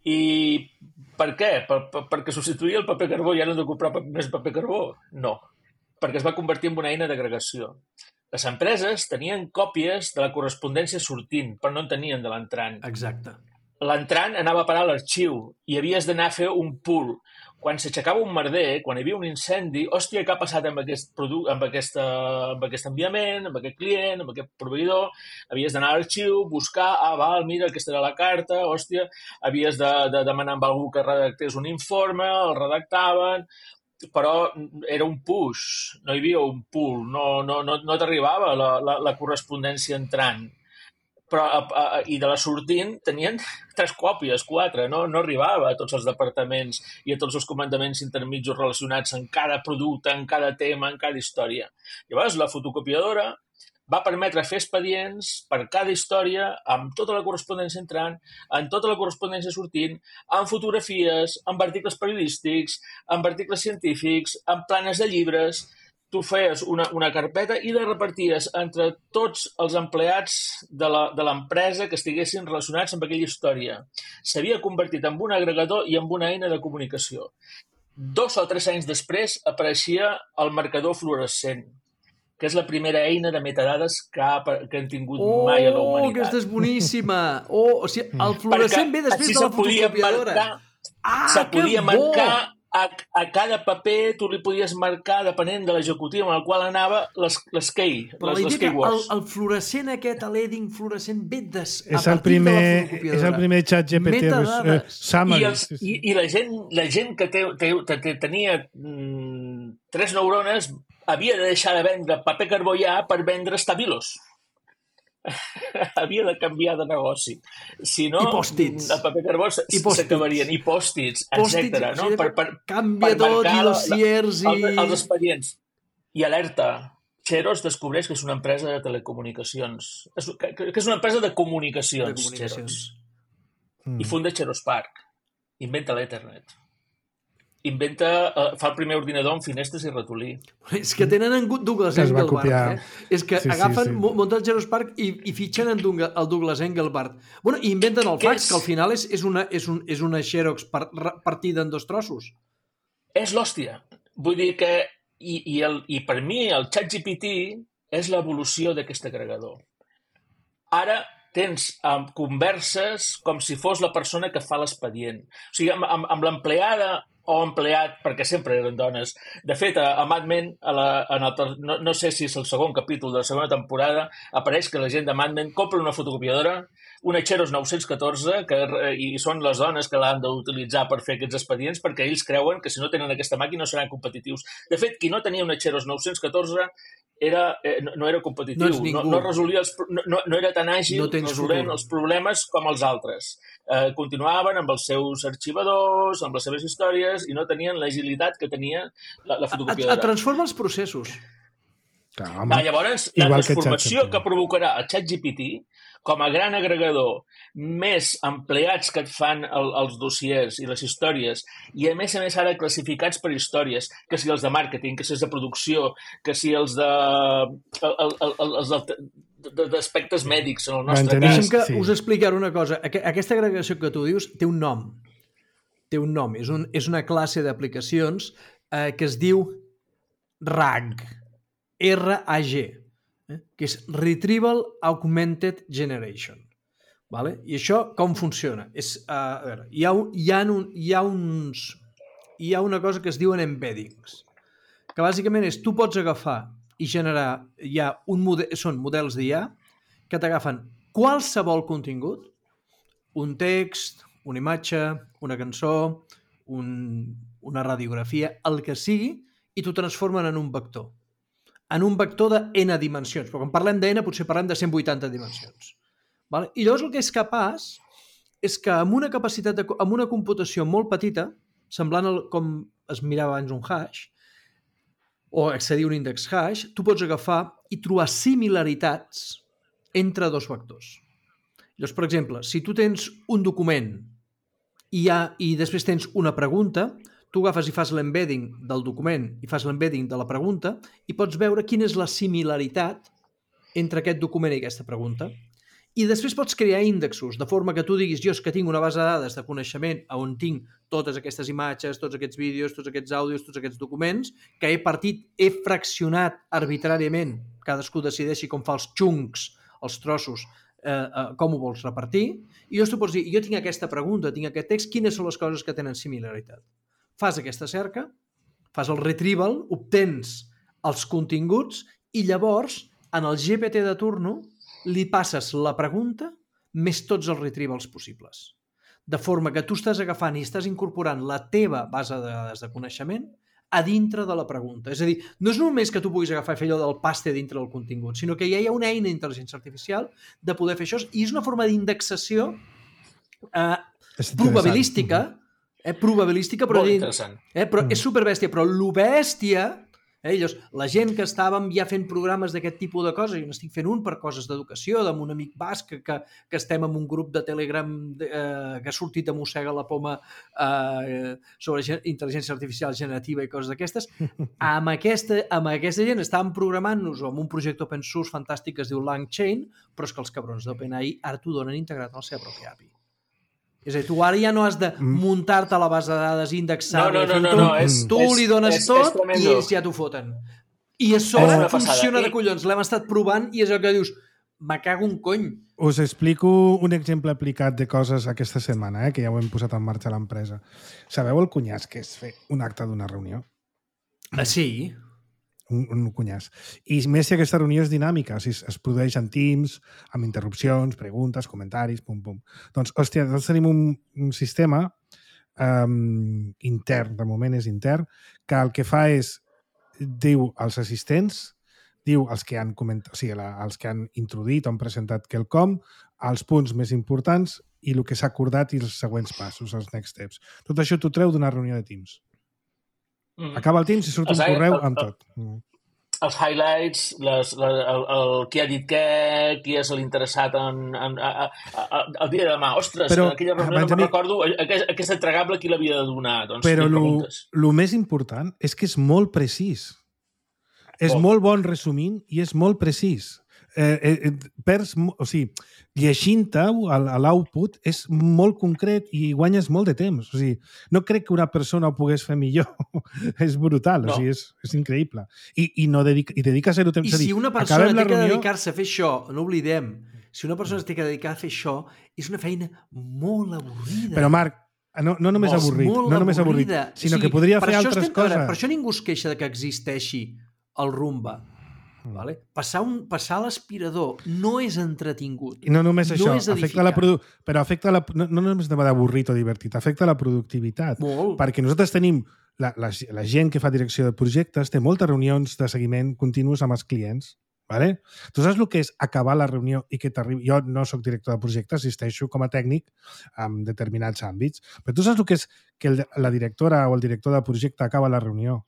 I per què? Per, per, perquè substituïa el paper carbó i ara hem de comprar més paper carbó? No, perquè es va convertir en una eina d'agregació. Les empreses tenien còpies de la correspondència sortint, però no en tenien de l'entrant. Exacte. L'entrant anava a parar a l'arxiu i havies d'anar a fer un pool. Quan s'aixecava un merder, quan hi havia un incendi, hòstia, què ha passat amb aquest, produc- amb aquesta, amb aquest enviament, amb aquest client, amb aquest proveïdor? Havies d'anar a l'arxiu, buscar, ah, val, mira, aquesta era la carta, hòstia, havies de, de demanar amb algú que redactés un informe, el redactaven, però era un push, no hi havia un pull, no, no, no, no t'arribava la, la, la correspondència entrant. Però, a, a, i de la sortint tenien tres còpies, quatre, no, no arribava a tots els departaments i a tots els comandaments intermitjos relacionats en cada producte, en cada tema, en cada història. Llavors, la fotocopiadora va permetre fer expedients per cada història, amb tota la correspondència entrant, amb tota la correspondència sortint, amb fotografies, amb articles periodístics, amb articles científics, amb planes de llibres. Tu feies una, una carpeta i la reparties entre tots els empleats de l'empresa que estiguessin relacionats amb aquella història. S'havia convertit en un agregador i en una eina de comunicació. Dos o tres anys després apareixia el marcador fluorescent, que és la primera eina de metadades que, ha, que han tingut oh, mai a la humanitat. Oh, aquesta és boníssima! Oh, o sigui, el fluorescent ve després de la fotocopiadora. Marcar, ah, se podia marcar a, a cada paper, tu li podies marcar, depenent de l'executiu amb el qual anava, les, les key, Però les, les keywords. El, el fluorescent aquest, l'edding fluorescent, ve des, a és partir primer, de la fotocopiadora. És el primer xat G P T. Uh, I, els, i, I la gent, la gent que te, te, te, te tenia mm, tres neurones havia de deixar de vendre paper carbó ja per vendre estabilos. Havia de canviar de negoci. Si no, I pòstits. El paper carbó s'acabarien. I pòstits, etcètera. No? Per, per, canvia per tot, i dossiers i... Els, els expedients. I alerta, Xerox descobreix que és una empresa de telecomunicacions. És, que, que és una empresa de comunicacions, de comunicacions. Mm. I funda Xerox Park. Inventa l'Ethernet. Inventa, uh, fa el primer ordinador amb finestres i ratolí. És que tenen en Douglas Engelbart. Eh? És que sí, agafen, sí, sí. munten el Xerox Park i, i fitxen en el Douglas Engelbart. Bueno, i inventen el fax, és... que al final és, és, una, és, un, és una Xerox par, partida en dos trossos. És l'hòstia. Vull dir que, i, i, el, i per mi, el ChatGPT és l'evolució d'aquest agregador. Ara tens um, converses com si fos la persona que fa l'expedient. O sigui, amb, amb, amb l'empleada o empleat, perquè sempre eren dones. De fet, a, a Mad Men, a la, en el, no, no sé si és el segon capítol de la segona temporada, apareix que la gent de Mad Men compra una fotocopiadora, una Xerox nou-cents catorze, que, i són les dones que l'han d'utilitzar per fer aquests expedients, perquè ells creuen que si no tenen aquesta màquina no seran competitius. De fet, qui no tenia una Xerox nou-cents catorze era, eh, no, no era competitiu, no, no, no resolia els, no, no era tan àgil no resolent els problemes com els altres. Eh, continuaven amb els seus arxivadors, amb les seves històries, i no tenien l'agilitat que tenia la, la fotocopiadora. Et transforma els processos. Clar, ah, llavors, la transformació que, que provocarà el ChatGPT com a gran agregador, més empleats que et fan el, els dossiers i les històries, i a més a més ara classificats per històries, que si els de màrqueting, que si els de producció, que si els de... El, el, el, els de d'aspectes mèdics, en el nostre cas. Deixa'm que sí. us explicar una cosa. Aquesta agregació que tu dius té un nom. Té un nom. És, un, és una classe d'aplicacions eh, que es diu R A G, R A G, eh? que és Retrieval Augmented Generation. Vale? I això com funciona? És, uh, a veure, hi ha, un, hi, ha un, hi, ha uns, hi ha una cosa que es diuen embeddings, que bàsicament és tu pots agafar i generar, hi ha un model, són models d'I A que t'agafen qualsevol contingut, un text, una imatge, una cançó, un, una radiografia, el que sigui, i t'ho transformen en un vector. En un vector de N dimensions, però quan parlem de N potser parlem de cent vuitanta dimensions. Vale? I llavors el que és capaç és que amb una capacitat, de, amb una computació molt petita, semblant al, com es mirava abans un hash, o accedir a un índex hash, tu pots agafar i trobar similaritats entre dos vectors. Llavors, per exemple, si tu tens un document i, ha, i després tens una pregunta, tu agafes i fas l'embedding del document i fas l'embedding de la pregunta i pots veure quina és la similaritat entre aquest document i aquesta pregunta. I després pots crear índexos, de forma que tu diguis, jo és que tinc una base de dades de coneixement on tinc totes aquestes imatges, tots aquests vídeos, tots aquests àudios, tots aquests documents, que he partit, he fraccionat arbitràriament, cadascú decideixi com fa els chunks, els trossos, eh, eh, com ho vols repartir, i llavors tu pots dir, jo tinc aquesta pregunta, tinc aquest text, quines són les coses que tenen similaritat? Fas aquesta cerca, fas el retrieval, obtens els continguts i llavors, en el G P T de turno, li passes la pregunta més tots els retrievals possibles. De forma que tu estàs agafant i estàs incorporant la teva base de dades de coneixement a dintre de la pregunta. És a dir, no és només que tu puguis agafar i fer allò del paste dintre del contingut, sinó que ja hi ha una eina d'intel·ligència artificial de poder fer això, i és una forma d'indexació eh, probabilística, eh, probabilística, però, eh, però mm. és superbèstia, però lo bèstia... Eh, llavors, la gent que estàvem ja fent programes d'aquest tipus de coses, jo n'estic fent un per coses d'educació, amb un amic basc que, que estem en un grup de Telegram eh, que ha sortit a mossega la poma eh, sobre intel·ligència artificial generativa i coses d'aquestes. Amb aquesta, amb aquesta gent estàvem programant-nos amb un projecte open source fantàstic que es diu LangChain, però és que els cabrons d'OpenAI ara t'ho donen integrat en la seva pròpia A P I. És a dir, tu ara ja no has de muntar-te a la base de dades, indexar-la, no, no, no, no, no, és, tu és, li dones és, tot és i ells ja t'ho foten. I a sobre oh, funciona de collons. L'hem estat provant i és el que dius, me cago un cony. Us explico un exemple aplicat de coses aquesta setmana, eh, que ja ho hem posat en marxa a l'empresa. Sabeu el cunyàs que és fer un acte d'una reunió? Ah, sí. Un, un cunyàs. I més si aquesta reunió és dinàmica, si es, es produeix en Teams, amb interrupcions, preguntes, comentaris, pum, pum. Doncs, hòstia, nosaltres tenim un, un sistema um, intern, de moment és intern, que el que fa és, diu als assistents, diu els que han comentat, o sigui, la, els que han introduït o han presentat quelcom, els punts més importants i el que s'ha acordat i els següents passos, els next steps. Tot això t'ho treu d'una reunió de Teams. Acaba el Teams i surt un correu amb tot. Els highlights, les, les, el, el qui ha dit què, qui és l'interessat en, en, a, a, a, el dia de demà. Ostres, però, en aquella reunió no me'n recordo aquest, aquest entregable qui l'havia de donar. Doncs, però el més important és que és molt precís. És oh. molt bon resumint i és molt precís. Eh, eh, perds, o sigui, llegint-te a l'output és molt concret i guanyes molt de temps. O sigui, no crec que una persona ho pogués fer millor. És brutal, no. O sigui, és, és increïble. I, i, no dedica, i dedica a ser-ho temps. I si una persona té que dedicar-se a fer això, no oblidem, si una persona té que dedicar a fer això, és una feina molt avorrida. Però, Marc, no, no només molt, avorrit, molt no només avorrit, sinó o sigui, que podria fer altres estem, coses. Veure, per això ningú es queixa de que existeixi el Rumba. Vale? Passar, un, passar l'aspirador no és entretingut. I no només això, no afecta la produ... però afecta la... no, no només d'avorrit o divertit, afecta la productivitat. Molt. Perquè nosaltres tenim, la, la, la gent que fa direcció de projectes té moltes reunions de seguiment continus amb els clients. Vale? Tu saps el que és acabar la reunió i que t'arribi... Jo no sóc director de projecte, assisteixo com a tècnic en determinats àmbits, però tu saps el que és que el, la directora o el director de projecte acaba la reunió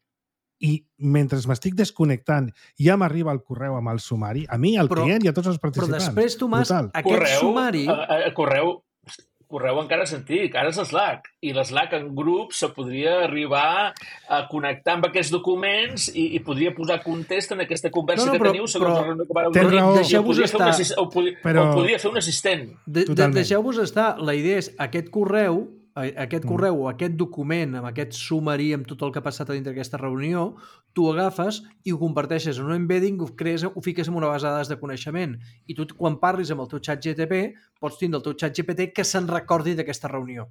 i mentre m'estic desconnectant ja m'arriba el correu amb el sumari, a mi, al però, client i a tots els participants. Però després, Tomàs, brutal. Aquest correu, sumari... A, a, correu, correu encara és antic, ara és l'Slack. I l'Slack en grup se podria arribar a connectar amb aquests documents i, i podria posar context en aquesta conversa no, no, però, que teniu segons la reunió que vareu dir. Deixeu-vos estar. Un, o, podria, però... o podria fer un assistent. De, de, Deixeu-vos estar. La idea és aquest correu aquest correu o aquest document, amb aquest sumari, amb tot el que ha passat a dintre d'aquesta reunió, tu ho agafes i ho converteixes en un embedding, ho, crees, ho fiques en una base de dades de coneixement. I tu, quan parlis amb el teu xat G P T, pots tindre el teu xat G P T que se'n recordi d'aquesta reunió.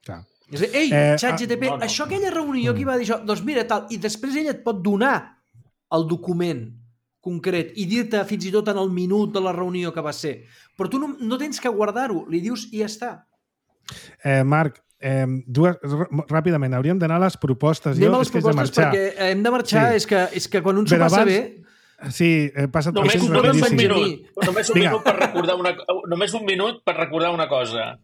Clar. És a dir, ei, Eh, xat G P T, no, no. això aquella reunió que va dir això, doncs mira, tal, i després ell et pot donar el document concret i dir-te fins i tot en el minut de la reunió que va ser. Però tu no, no tens que guardar-ho, li dius i ja està. Eh, Marc, eh, dues, ràpidament, hauríem d'anar a les propostes. Anem jo, a les és que és de propostes marxar. perquè hem de marxar, Sí. és, que, és que quan un s'ho Però passa abans- bé... Sí, he passat Només, processos no només un Benjamí. rapidíssims. minut, només un Vinga. minut per recordar una, només un minut per recordar una cosa.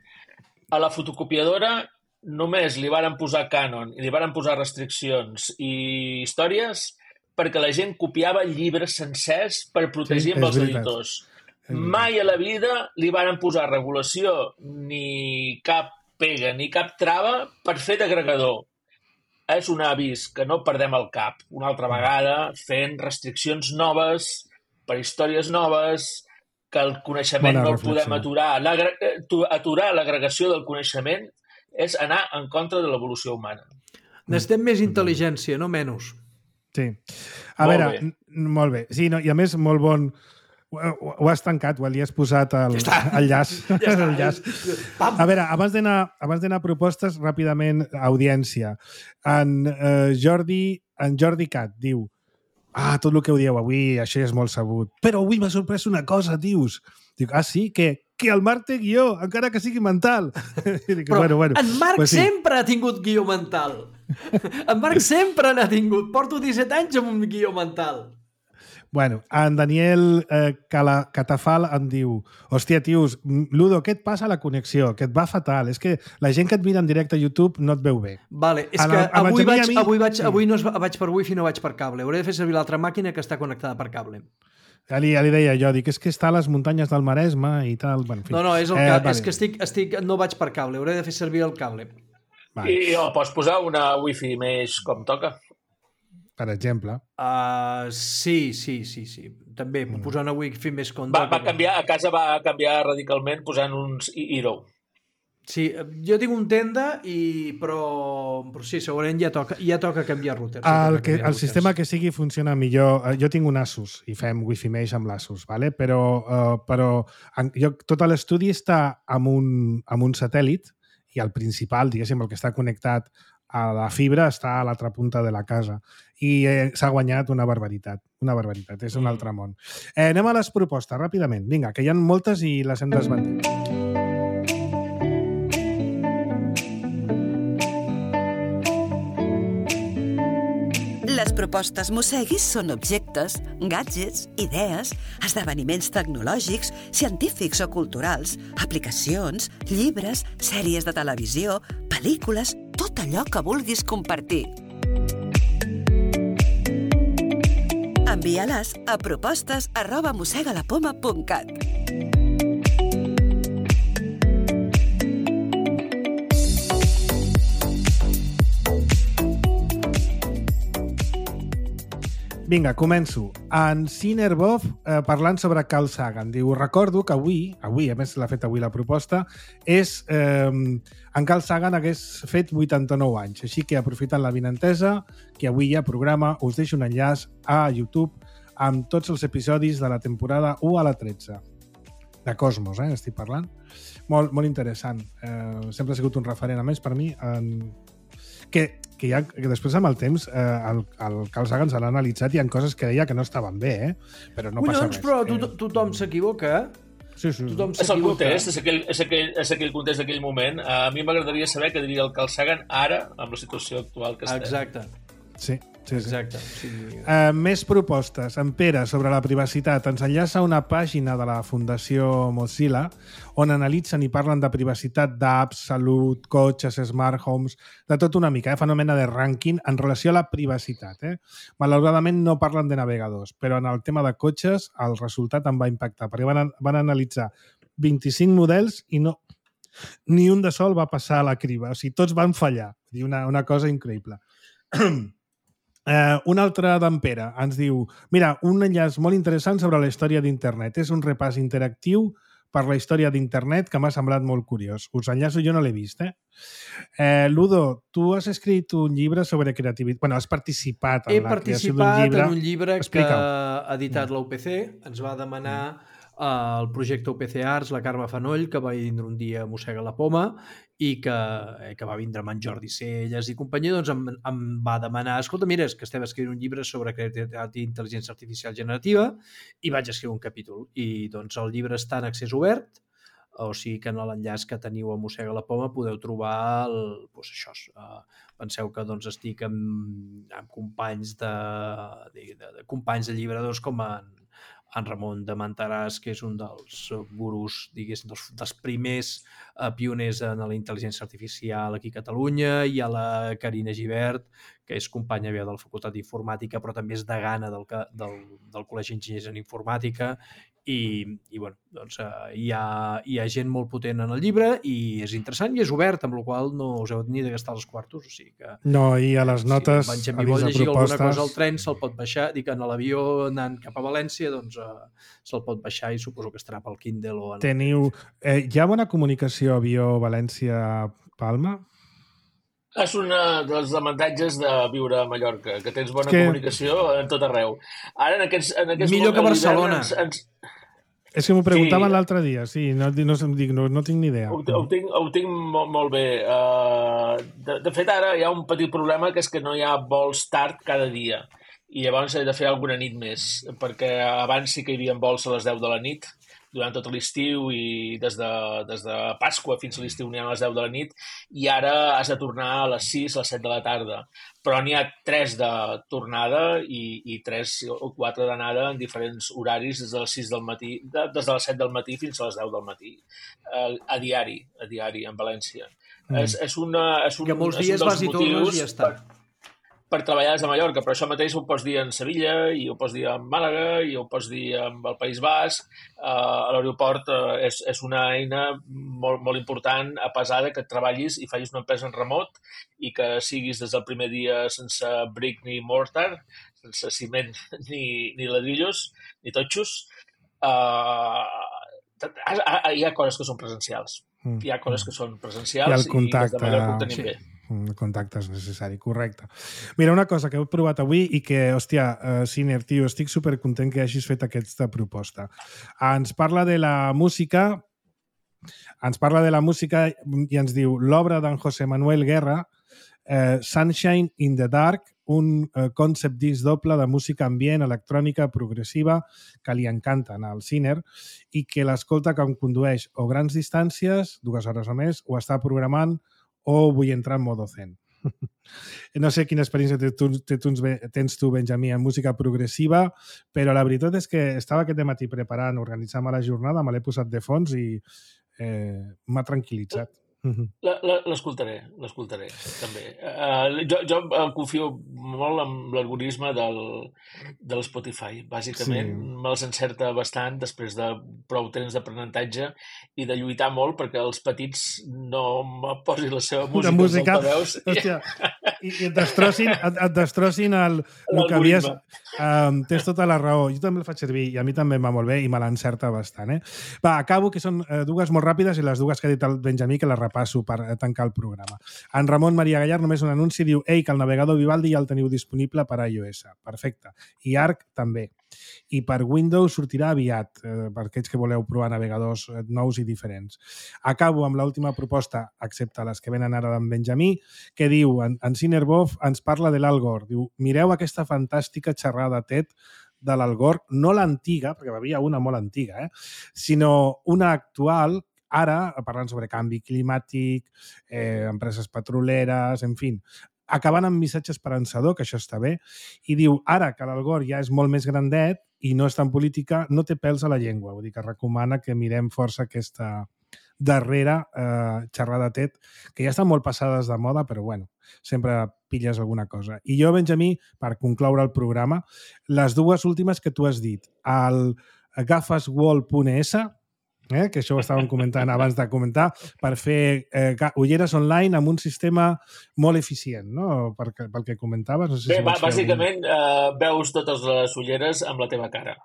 A la fotocopiadora només li varen posar Canon i li varen posar restriccions i històries perquè la gent copiava llibres sencers per protegir Sí, amb és els veritat. editors. És veritat. Mai a la vida li varen posar regulació ni cap pega ni cap trava per fer d'agregador. És un avís que no perdem el cap una altra vegada fent restriccions noves per històries noves, que el coneixement Bona no el reflexió. podem aturar. L'agre- eh, tu- Aturar l'agregació del coneixement és anar en contra de l'evolució humana. Necessitem més intel·ligència, no menys. Sí. A Molt veure, bé. n- molt bé. Sí, no, i a més, molt bon... Ho, ho, ho has tancat, ho li has posat el, Ja està. el llaç. Ja està. el llaç. Pam! A veure, abans d'anar abans d'anar a propostes, ràpidament, audiència. En, eh, Jordi, en Jordi Cat diu: ah, tot el que ho dieu avui, això ja és molt sabut. Però avui m'ha sorprès una cosa, dius. Dic, ah, sí? Què? Que el Marc té guió, encara que sigui mental. I dic, Però bueno, bueno. en Marc Pues sí. sempre ha tingut guió mental. En Marc sempre n'ha tingut. Porto disset anys amb un guió mental. Bueno, en Daniel eh, Cala, Catafal em diu: hòstia, tios, Ludo, què et passa a la connexió? Que et va fatal. És que la gent que et mira en directe a YouTube no et veu bé. Vale, és A que la- a avui Benjamí i vaig, a mi- avui, vaig, sí. avui no es, va- vaig per wifi, no vaig per cable. Hauré de fer servir l'altra màquina que està connectada per cable. Ja li, ja li deia jo, dic, és que està a les muntanyes del Maresme i tal. Bueno, en fi. No, no, és, el Eh, ca... vale. és que estic, estic, no vaig per cable. Hauré de fer servir el cable. Vale, I oh, pots posar una wifi més com toca. per exemple. Uh, sí, sí, sí, sí. També, mm. posar una wifi més com... Va, va canviar, a casa va canviar radicalment posant uns Hero. Sí, jo tinc un tenda, i però, però sí, segurament ja toca, ja toca canviar router. Sí, El, toca que, canviar el routers. sistema que sigui funciona millor. Eh, Jo tinc un Asus i fem Wi-Fi Mesh amb l'Asus, vale? però, uh, però en, jo, tot l'estudi està amb un, amb un satèl·lit i el principal, diguéssim, el que està connectat a la fibra està a l'altra punta de la casa i eh, s'ha guanyat una barbaritat. Una barbaritat, és un Mm. altre món. Eh, anem a les propostes, ràpidament. Vinga, que hi ha moltes i les hem desbandit. Les propostes Mosseguis són objectes, gadgets, idees, esdeveniments tecnològics, científics o culturals, aplicacions, llibres, sèries de televisió, pel·lícules, tot allò que vulguis compartir. Envia-les a propostes arroba mossegalapoma punt cat. Vinga, començo. En Cinerbov, eh, parlant sobre Carl Sagan, diu: recordo que avui, avui, a més l'ha fet avui la proposta, és eh, en Carl Sagan hagués fet vuitanta-nou anys, així que aprofitant la vinentesa, que avui hi ha programa, us deixo un enllaç a YouTube amb tots els episodis de la temporada u a la tretze. De Cosmos, eh, estic parlant. Molt, molt interessant. Eh, sempre ha sigut un referent, a més, per mi, en... que, que, ja, que després amb el temps eh, el, el Carl Sagan se l'ha analitzat i hi ha coses que deia que no estaven bé, eh? Però no passa Collons, res. però to Eh, tothom s'equivoca, eh? sí, sí. Tothom És el s'equivoca. context, és aquell, és aquell, és aquell context d'aquell moment. A mi m'agradaria saber què diria el Carl Sagan ara, amb la situació actual que estem. Exacte, Sí, sí, sí. exacte. Sí. Uh, més propostes. En Pere, sobre la privacitat, ens enllaça a una pàgina de la Fundació Mozilla on analitzen i parlen de privacitat d'apps, salut, cotxes, smart homes, de tot una mica. Eh? Fan una mena de rànquing en relació a la privacitat. Eh? Malauradament no parlen de navegadors, però en el tema de cotxes el resultat em va impactar, perquè van, van analitzar vint-i-cinc models i no, ni un de sol va passar a la criba. O sigui, tots van fallar. Vull dir, una, una cosa increïble. Uh, un altre d'en Pere ens diu: mira, un enllaç molt interessant sobre la història d'internet. És un repàs interactiu per la història d'internet que m'ha semblat molt curiós. Us enllaço, jo no l'he vist, eh? eh? Ludo, tu has escrit un llibre sobre creativitat. Bueno, has participat en He la creació d'un llibre. He participat en un llibre Explica-ho. que ha editat la U P C. Ens va demanar uh, el projecte U P C Arts, la Carme Fanoll, que va vindre un dia a Mossega la Poma, i que, eh, que va vindre amb en Jordi Celles i companyia, doncs em, em va demanar, escolta, mira, és que estem escrivint un llibre sobre creativitat i intel·ligència artificial generativa, i vaig escriure un capítol. I doncs el llibre està en accés obert, o sigui que en l'enllaç que teniu a Mossega la Poma podeu trobar el, doncs això, uh, penseu que doncs estic amb, amb companys de, de, de, de companys de llibradors com en en Ramon de Mantaràs, que és un dels gurus, diguéssim, dels, dels primers eh, pioners en la intel·ligència artificial aquí a Catalunya. Hi ha la Carina Gibert, que és companya de la Facultat d'Informàtica, però també és degana del, del, del Col·legi d'Enginyers en Informàtica, i, i bueno, doncs, eh, hi, ha, hi ha gent molt potent en el llibre i és interessant i és obert, amb la qual cosa no us heu ni de gastar els quartos, o sigui que... No, i a les notes, si a dins de llegir propostes... alguna cosa al tren, se'l pot baixar, dic, en l'avió anant cap a València, doncs eh, se'l pot baixar i suposo que estarà pel Kindle o... En... Teniu... Eh, hi ha bona comunicació avió-València-Palma? És un dels avantatges de viure a Mallorca, que tens bona que... comunicació en tot arreu. Ara, en aquests, en aquests Millor que Barcelona. Ens, ens... És que m'ho preguntaven sí. l'altre dia, sí, no, no, no, no tinc ni idea. Ho, ho, tinc, ho tinc molt, molt bé. Uh, de, de fet, ara hi ha un petit problema, que és que no hi ha vols tard cada dia. I llavors he de fer alguna nit més, perquè abans sí que hi havia vols a les deu de la nit, durant tot l'estiu, i des de, des de Pasqua fins a l'estiu n'hi ha a les deu de la nit, i ara has de tornar a les sis, a les set de la tarda. Però n'hi ha tres de tornada i, i tres o quatre d'anada en diferents horaris des de les sis del matí, de, des de les set del matí fins a les deu del matí, a, a diari, a diari, en València. Mm. És, és, una, és un, que molts és dies un vas i tornes i ja està. Per, per treballar des de Mallorca, però això mateix ho pots dir en Sevilla, i ho pots dir en Màlaga, i ho pots dir en el País Basc. Uh, a l'aeroport uh, és, és una eina molt, molt important, a pesar de que treballis i facis una empresa en remot i que siguis des del primer dia sense brick ni mortar, sense ciment ni, ni ladrillos, ni totxos. Uh, hi ha coses que són presencials. Hi ha coses que són presencials i, i des de Mallorca ho tenim sí. bé. El contacte és necessari, correcte. Mira, una cosa que heu provat avui i que, hòstia, uh, Siner, tio, estic supercontent que hagis fet aquesta proposta. Ens parla de la música, ens parla de la música i ens diu l'obra d'en José Manuel Guerra, uh, Sunshine in the Dark, un uh, concept disc doble de música ambient, electrònica, progressiva, que li encanten al Siner i que l'escolta quan condueix o grans distàncies, dues hores o més, o està programant o vull entrar en modo zen. No sé quina experiència tens tu, Benjamí, en música progressiva, però la veritat és que estava aquest matí preparant, organitzant la jornada, me l'he posat de fons i eh, m'ha tranquil·litzat. L'escoltaré, l'escoltaré, també. Uh, jo, jo em confio molt en l'algoritme del, de l'Spotify. Bàsicament, sí. Me'ls encerta bastant després de prou temps d'aprenentatge i de lluitar molt perquè els petits no me posin la seva música. La música, hòstia, i, i et destrossin, et, et destrossin el, el que havies... Um, tens tota la raó. Jo també el faig servir i a mi també em va molt bé i me l'encerta bastant. Eh? Va, acabo, que són uh, dues molt ràpides i les dues que ha dit el Benjamí, que les repasso per tancar el programa. En Ramon Maria Gallar només un anunci, diu ei, que el navegador Vivaldi ja el teniu disponible per a iOS. Perfecte. I Arc també. I per Windows sortirà aviat, eh, per aquells que voleu provar navegadors nous i diferents. Acabo amb l'última proposta, excepte les que venen ara d'en Benjamí, que diu, en, en Cinerbov ens parla de l'Al Gore. Diu, mireu aquesta fantàstica xerrada TED de l'Al Gore, no l'antiga, perquè hi havia una molt antiga, eh? sinó una actual, ara, parlant sobre canvi climàtic, eh, empreses petroleres, en fi, acabant amb missatge esperançador, que això està bé, i diu, ara que l'Al Gore ja és molt més grandet i no és tan política, no té pèls a la llengua. Vull dir que recomana que mirem força aquesta darrera eh, xerrada TED, que ja estan molt passades de moda, però bueno, sempre pilles alguna cosa. I jo, Benjamí, per concloure el programa, les dues últimes que tu has dit, el gafaswall punt es, eh, que això ho estàvem comentant abans de comentar, per fer eh, ulleres online amb un sistema molt eficient, no? Per, pel que comentaves. No sé Bé, si bàsicament algun... eh, veus totes les ulleres amb la teva cara.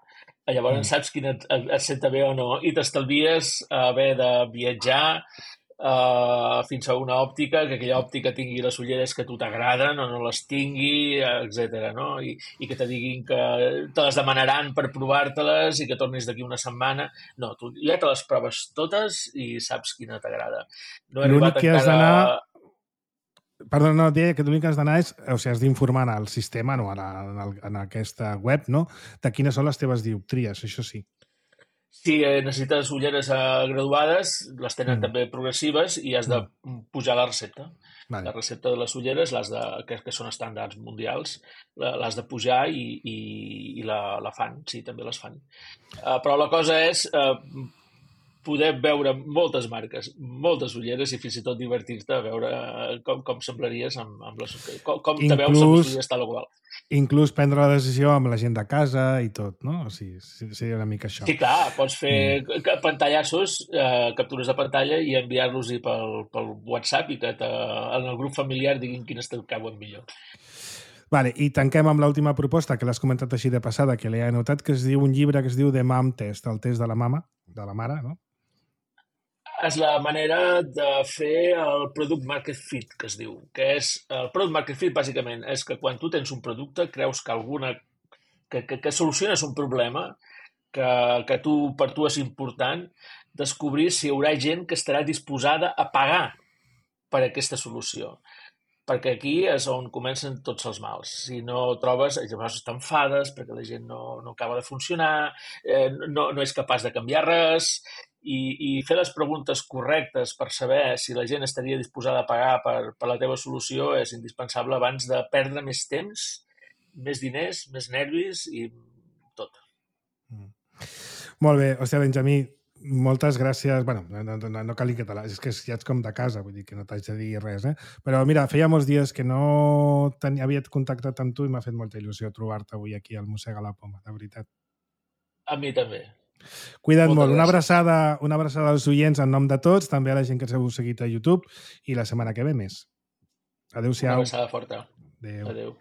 Llavors Mm. saps quina et, et senta bé o no i t'estalvies haver de viatjar uh, fins a una òptica, que aquella òptica tingui les ulleres que a tu t'agraden o no les tingui, etcètera. No? I, I que te diguin que te les demanaran per provar-te-les i que tornis d'aquí una setmana. No, tu ja te les proves totes i saps quina t'agrada. No he L'únic arribat que has encara... d'anar... Perdó, no, deia que l'únic que has d'anar és, o sigui, has d'informar en el sistema, no, en, el, en aquesta web, no?, de quines són les teves dioptries, això sí. Si necessites ulleres uh, graduades, les tenen Mm. també progressives i has de pujar la recepta. Vale. La recepta de les ulleres, les de, que, que són estàndards mundials, la- l'has de pujar i, i, i la, la fan, sí, també les fan. Uh, però la cosa és uh, poder veure moltes marques, moltes ulleres i fins i tot divertir-te a veure com, com semblaries amb, amb les, com, com te veus amb les ulleres tal o qual. Inclús prendre la decisió amb la gent de casa i tot, no? O sigui, seria una mica això. Sí, clar, pots fer mm. pantallassos, eh, captures de pantalla i enviar-los-hi pel, pel WhatsApp i que te, en el grup familiar diguin quines te'n cauen millor. Vale, i tanquem amb l'última proposta, que l'has comentat així de passada, que l'he anotat, que es diu un llibre que es diu The Mom Test, el test de la mama, de la mare, no? És la manera de fer el Product Market Fit, que es diu. Que és, el Product Market Fit, bàsicament, és que quan tu tens un producte, creus que alguna... que, que, que soluciones un problema que, que tu, per tu és important, descobrir si hi haurà gent que estarà disposada a pagar per aquesta solució. Perquè aquí és on comencen tots els mals. Si no trobes, llavors t'enfades perquè la gent no, no acaba de funcionar, eh, no, no és capaç de canviar res, i, i fer les preguntes correctes per saber si la gent estaria disposada a pagar per, per la teva solució és indispensable abans de perdre més temps, més diners, més nervis i tot. Mm. Molt bé, hòstia, Benjamí, moltes gràcies. Bueno, no, no, no cal que te la... És que ja ets com de casa, vull dir que no t'haig de dir res, eh? Però mira, feia molts dies que no tenia, havia contactat amb tu i m'ha fet molta il·lusió trobar-te avui aquí al Mossega la Poma, de veritat. A mi també. Cuida't Moltes molt. Una gràcies. abraçada, una abraçada als oients en nom de tots, també a la gent que ens heu seguit a YouTube i la setmana que ve més. Una Adéu-siau. abraçada forta. Adéu. Adéu.